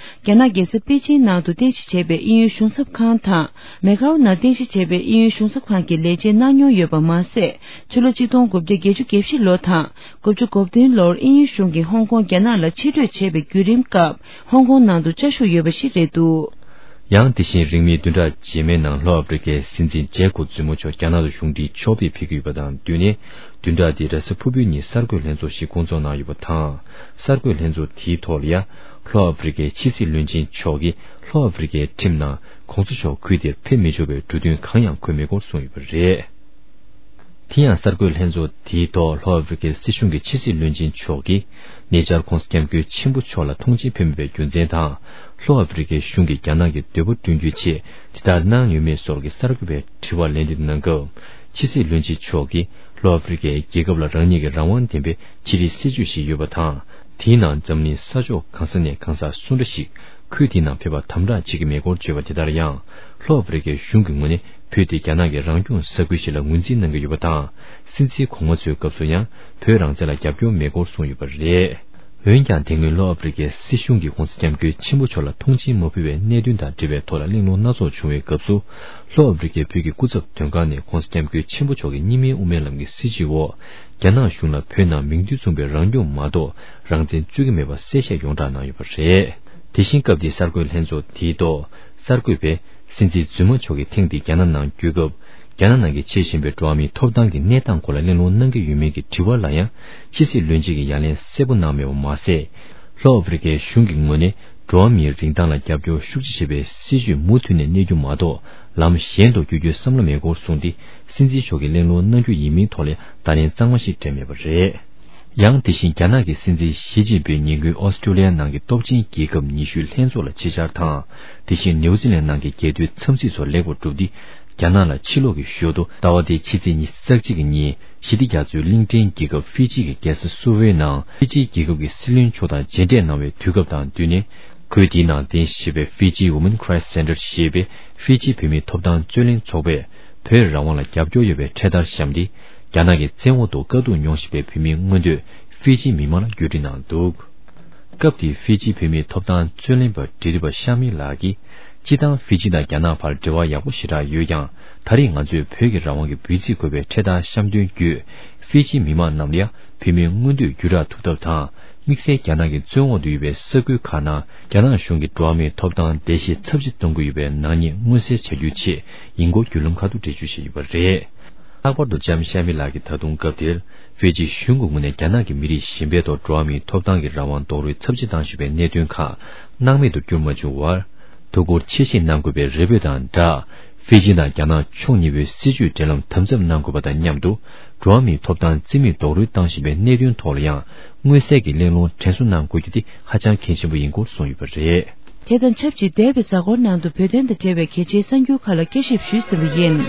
རྒྱ་ནག་རྒྱལ་ས་པེ་ཅིན་ནང་དུ་རྟེན་གཞི་བྱས་པའི་དབྱིན་ཡུལ་གཞུང་ཚབ་ཁང་དང་། མེ་ཀའོ་ནང་རྟེན་གཞི་བྱས་པའི་དབྱིན་ཡུལ་གཞུང་ཚབ་ཁང་གི་ལས་བྱེད་གནང་མྱོང་ཡོད་པ་མ་ཟད། ཕྱི་ལོ་ཆིག་སྟོང་དགུ་བརྒྱ་བརྒྱད་ཅུ་གྱ་བཞི་ལོ་དང་། དགུ་བཅུ་གོ་བདུན་ལོར་དབྱིན་ཡུལ་གཞུང་གིས་ཧོང་ཀོང་རྒྱ་ནག་ལ་ཕྱིར་སྤྲོད་བྱས་པའི་བརྒྱུད་རིམ་སྐབས། ཧོང་ཀོང་ནང་དུ་བཅའ་བཞུགས་ཡོད་པ་ཞིག་རེད་འདུག་ཡང་དེ་བཞིན་རིང་མིན་བདུན་ཕྲག་རྗེས་མའི་ནང་ལྷོ་ཨ་ཕི་རི་ཀའི་སྲིད་འཛིན་ཇེ་ཀོབ་ཛུ་མོ་མཆོག་རྒྱ་ནག་ཏུ་གཞུང་འབྲེལ་ཕྱོགས་ཕེབས་ཕེབས་ཀྱི་ཡོད་པ་དང་བསྟུན་ནས། བདུན་ཕྲག་འདིའི་རེས་གཟའ་ཕུར་བུའི་ཉིན་གསར་འགོད་ལྷན་ཚོགས་ཤིག་སྐོང་ཚོགས་གནང་ཡོད་པ་དང་། གསར་འགོད་ལྷན་ཚོགས་དེའི་ཐོག་ལ་ཡང་། ལྷོ་ཨ་ཕི་རི་ཀའི་ཕྱི་སྲིད་བློན་ཆེན་མཆོག་གིས་ལྷོ་ཨ་ཕི་རི་ཀའི་ཁྲིམས་ནང་གོང་ས་མཆོག་ཁུལ་དེར་ཕེབས་མི་ཆོག་པའི་འབྲུ་དོན་གང་ཡང་འཁོད་མེད་སྐོར་གསུངས་ཡོད་པ་རེད། དེ་ཡང་གསར་འགོད་ལྷན་ཚོགས་དེའི་ཐོག་ལྷོ་ཨ་ཕི་རི་ཀའི་སྲིད་གཞུང་གི་ཕྱི་སྲིད་བློན་ཆེན་མཆོག་གིས། ཉེ་ཆར་༧གོང་ས་༧སྐྱབས་མགོན་ཆེན་པོ་མཆོག་ལ་ཐོངས་མཆན་ཕུལ་མེད་པའི་རྒྱུ་མཚན་དང་། ལྷོ་ཨ་ཕི་རི་ཀའི་གཞུང་གིས་རྒྱ་ནག་གི་འདོད་པ་བསྐྲུན་རྒྱུའི་ཆེད་དེ་ལྟར་གནང་ཡོད་མེད་སོགས་ཀྱི་གསར་འགོད་པའི་དྲི་བར་ལན་འདེབས་གནང་སྐབས། ཕྱི་སྲིད་བློན་ཆེན་མཆོག་གིས། ལྷོ་ཨ་ཕི་རི་ཀའི་རྒྱལ་ཁབ་ལ་རང་ཉིད་ཀྱི་རང་དབང་ལྡན་པའི་ཕྱི་འབྲེལ་སྲིད་ཇུས་ཤིག་ཡོད་པ་དང་། དེའི་ནང་འཛམ་གླིང་ས་ཕྱོགས་གང་ས་ནས་གང་ཟག་སུ་འདྲ་ཞིག་ཁུལ་དེའི་ནང་ཕེབས་པར་དམ་དྲག་བྱེད་ཀྱི་མེད་སྐོར་བརྗོད་པ་དེ་ལྟར་ཡང་། ལྷོ་ཨ་ཕི་རི་ཀའི་གཞུང་གི་ངོས་ནས་བོད་དེ་རྒྱ་ནག་གི་རང་སྐྱོང་ས་ཁུལ་ཞིག་ལ་ངོས་འཛིན་གནང་གི་ཡོད་པ་དང་། སྲིད་འཛིན་གོང་མ་ཚོའི་སྐབས་སུ་ཡང་བོད་རང་བཙན་ལ་རྒྱབ་སྐྱོར་མེད་སྐོར་གསུངས་ཡོད་པ་རེད། འོན་ཀྱང་། དེ་སྔོན་ལྷོ་ཨ་ཕི་རི་ཀའི་སྲིད་གཞུང་གིས་༧གོང་ས་༧སྐྱབས་མགོན་ཆེན་པོ་མཆོག་ལ་ཐོངས་མཆན་མ་ཕུལ་བའི་གནད་དོན་དང་འབྲེལ་བའི་ཐོག་ལ་གླེང་སློང་སྣ་ཚོགས་བྱུང་བའི་སྐབས་སུ། ལྷོ་ཨ་ཕི་རི་ཀའི་བོད་ཀྱི་སྐུ་ཚབ་དོན་ཁང་ནས་༧གོང་ས་༧སྐྱབས་མགོན་ཆེན་པོ་མཆོག་གི་གཉིས་སྨན་དབུ་མའི་ལམ་གྱི་སྲིད་བྱུས་འོག་རྒྱ་ནག་གཞུང་ལ་བོད་ནང་མིང་དོན་མཚུངས་པའི་རང་སྐྱོང་མ་གཏོགས་རང་བཙན་རྩོད་ཀྱི་མེད་པ་གསལ་བཤད་ཡོངས་བསྒྲགས་གནང་ཡོད་པ་རེད། དེ་བཞིན་སྐབས་དེའི་གསར་འགོད་ལྷན་ཚོགས་དེའི་ཐོག་གསར་འགོད་པས། སྲིད་འཛིན་རྫུན་མ་མཆོག་གིས་ཐེངས་འདིའི་རྒྱ་ནག་ནང་བརྒྱུད་སྐབས། རྒྱ་ནག་ནང་གི་ཆེས་ཞན་པའི་འགྲོ་བ་མིའི་ཐོབ་ཐང་གི་གནས་སྟངས་སྐོར་ལ་གླེང་སློང་གནང་གི་ཡོད་མེད་ཀྱི་དྲི་བ་ལ་ཡང་། ཕྱི་སྲིད་བློན་ཆེན་གྱིས་ཡ་ལན་གསལ་པོ་གནང་མེད་པ་མ་ཟད། ལྷོ་ཨ་ཕི་རི་ཀའི་གཞུང་གི་ངོས་ནས་འགྲོ་བ་མིའི་རིན་ཐང་ལ་རྒྱབ་སྐྱོར་ཤུགས་ཆེ་བྱེད་པའི་སྲིད་བྱུས་མུ་མཐུད་ནས་གནས་རྒྱུ་མ་གཏོགས། ལམ་གཞན་དུ་བསྐྱོད་རྒྱུའི་བསམ་བློ་མེད་སྐོར་གསུངས་ཏེ། སྲིད་འཛིན་མཆོག་གིས་གླེང་སློང་གནང་རྒྱུ་ཡིན་མིན་ཐོག་ལ་བརྡ་ལན་གཙང་མ་ཞིག་སྤྲད་མེད་པ་རེད། ཡང་དེ་བཞིན་རྒྱ་ནག་གི་སྲིད་འཛིན་ཞི་ཅིན་ཕིང་ཉིན་གུང་ཨོ་སི་ཀྲོ་ལི་ཡ་ནང་གི་སྟོབས་ཆེན་རྒྱལ་ཁབ་ཉི་ཤུའི་ལྷན་ཚོགས་ལ་ཆེད་བཅར་དང་། དེ་བཞིན་ནིའུ་ཛི་ལན་ནང་གི་རྒྱལ་དོན་འཚམས་གཟིགས་སོགས་ལེགས་པར་གྲུབ་སྟེ། རྒྱ་ནག་ལ་ཕྱིར་ལོག་གི་ཞོར་དུ་ཟླ་བ་འདིའི་ཕྱི་ཚེས་ཉི་ཤུ་རྩ་གཅིག་གི་ཉིན་ཞི་བདེ་རྒྱ་མཚོའི་གླིང་ཕྲན་རྒྱལ་ཁབ་ཧྥི་ཇི་གི་རྒྱལ་ས་སུ་ཝེའི་ནང་ཧྥི་ཇི་རྒྱལ་ཁབ་ཀྱི་སྲིད་བློན་མཆོག་དང་མཇལ་འཕྲད་གནང་བའི་དུས་སྐབས་དང་བསྟུན་ནས། ཁུལ་དེའི་ནང་རྟེན་གཞི་བྱས་པའི་Fiji Women Crisis Center ཞེས་པའི་ཧྥི་ཇི་བོད་མིའི་ཐོབ་ཐང་རྩོད་ལེན་ཚོགས་པས། བོད་རང་དབང་ལ་རྒྱབ་སྐྱོར་ཡོད་པའི་འཕྲེད་དར་བཤམས་ཏེ། རྒྱ་ནག་གི་བཙན་འོག་ཏུ་དཀའ་སྡུག་མྱོང་བཞིན་པའི་བོད་མིའི་མངོན་འདོད་ཧྥི་ཇི་མི་མང་ལ་བརྒྱུད་སྒྲིག་གནང་འདུག་སྐབས་དེའི་ཧྥི་ཇི་བོད་མིའི་ཐོབ་ཐང་རྩོད་ལེན་པ་འབྲེལ་མཐུད་པ་ཤ་མི་ལགས་ཀྱིས། སྤྱིར་བཏང་ཧྥི་ཇི་དང་རྒྱ་ནག་བར་འབྲེལ་བ་ཡག་པོ་ཞེ་དྲག་ཡོད་ཀྱང་། ད་རེས་ང་ཚོས་བོད་ཀྱི་རང་དབང་གི་འབོད་ཚིག་འཁོད་པའི་འཕྲེད་དར་བཤམས་དོན་བརྒྱུད། ཧྥི་ཇི་མི་མང་རྣམས་ལ་ཡང་བོད་མིའི་མངོན་འདོད་བརྒྱུད་བསྒྲགས་ཐུབ་ཐབས་དང་། དམིགས་བསལ་རྒྱ་ནག་གི་བཙོན་འོག་ཏུ་ཡོད་པའི་ས་ཁུལ་ཁག་ནང་རྒྱ་ནག་གཞུང་གིས་འགྲོ་བ་མིའི་ཐོབ་ཐང་བརྡལ་བཤིག་ཚབས་ཆེ་གཏོང་གི་ཡོད་པའི་ནག་ཉེས་མངོན་གསལ་བྱ་རྒྱུའི་ཆེད་ཡིན་སྐོར་བརྒྱུད་ལམ་ཁག་ཏུ་འགྲེལ་བརྗོད་བྱས་ཡོད་པ་རེད། ལྷག་པར་དུ་ལྕམ་ཤ་མི་ལགས་ཀྱིས་ད་དུང་སྐབས་དེར་ཧྥི་ཇི་གཞུང་གི་ངོས་ནས་རྒྱ་ནག་གི་མི་རིགས་གཞན་པའི་ཐོག་འགྲོ་བ་མིའི་ཐོབ་ཐང་གི་རང་དབང་རྡོག་རོལ་ཚབས་ཆེ་བཏང་བཞིན་པའི་གནད་དོན་ཁག་སྣང་མེད་དུ་བསྐྱུར་མ་བཅུག་པར། ཐུགས་ཁུར་ཆེ་བཞེས་གནང་དགོས་པའི་རེ་འབོད་དང་སྦྲགས། ཧྥི་ཇི་དང་རྒྱ་ནག་ཕྱོགས་གཉིས་པོའི་སྲིད་བྱུས་འབྲེལ་ལམ་དམ་ཟབ་གནང་དགོས་པ་དང་མཉམ་དུ། འགྲོ་བ་མིའི་ཐོབ་ཐང་རྩིས་མེད་རྡོག་རོལ་བཏང་བཞིན་པའི་གནད་དོན་ཐོག་ལ་ཡང་། མངོན་གསལ་གྱི་གླེང་སློང་དྲན་གསོ་གནང་དགོས་རྒྱུ་དེ་ཧ་ཅང་གལ་ཆེན་པོ་ཡིན་སྐོར་གསུངས་ཡོད་པ་རེད། དེ་དང་ཆབས་ཅིག་འདས་པའི་གཟའ་འཁོར་ནང་དུ་བོད་དོན་དང་འབྲེལ་བའི་གལ་ཆེའི་གསར་འགྱུར་ཁག་ལ་བསྐྱར་ཞིབ་ཞུས་ཟིན་པ་ཡིན།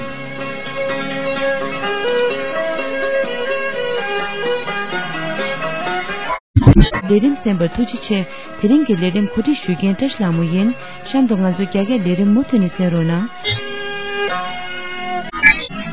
ལས་རིམ་གསན་པར་ཐུགས་རྗེ་ཆེ། དེ་རིང་གི་ལས་རིམ་གོ་སྒྲིག་ཞུ་མཁན་བཀྲ་ཤིས་ལྷ་མོ་ཡིན། གཤམ་དུ་ང་ཚོའི་རྒྱ་སྐད་ལས་རིམ་མུ་མཐུད་ནས་གསན་རོགས་གནང་།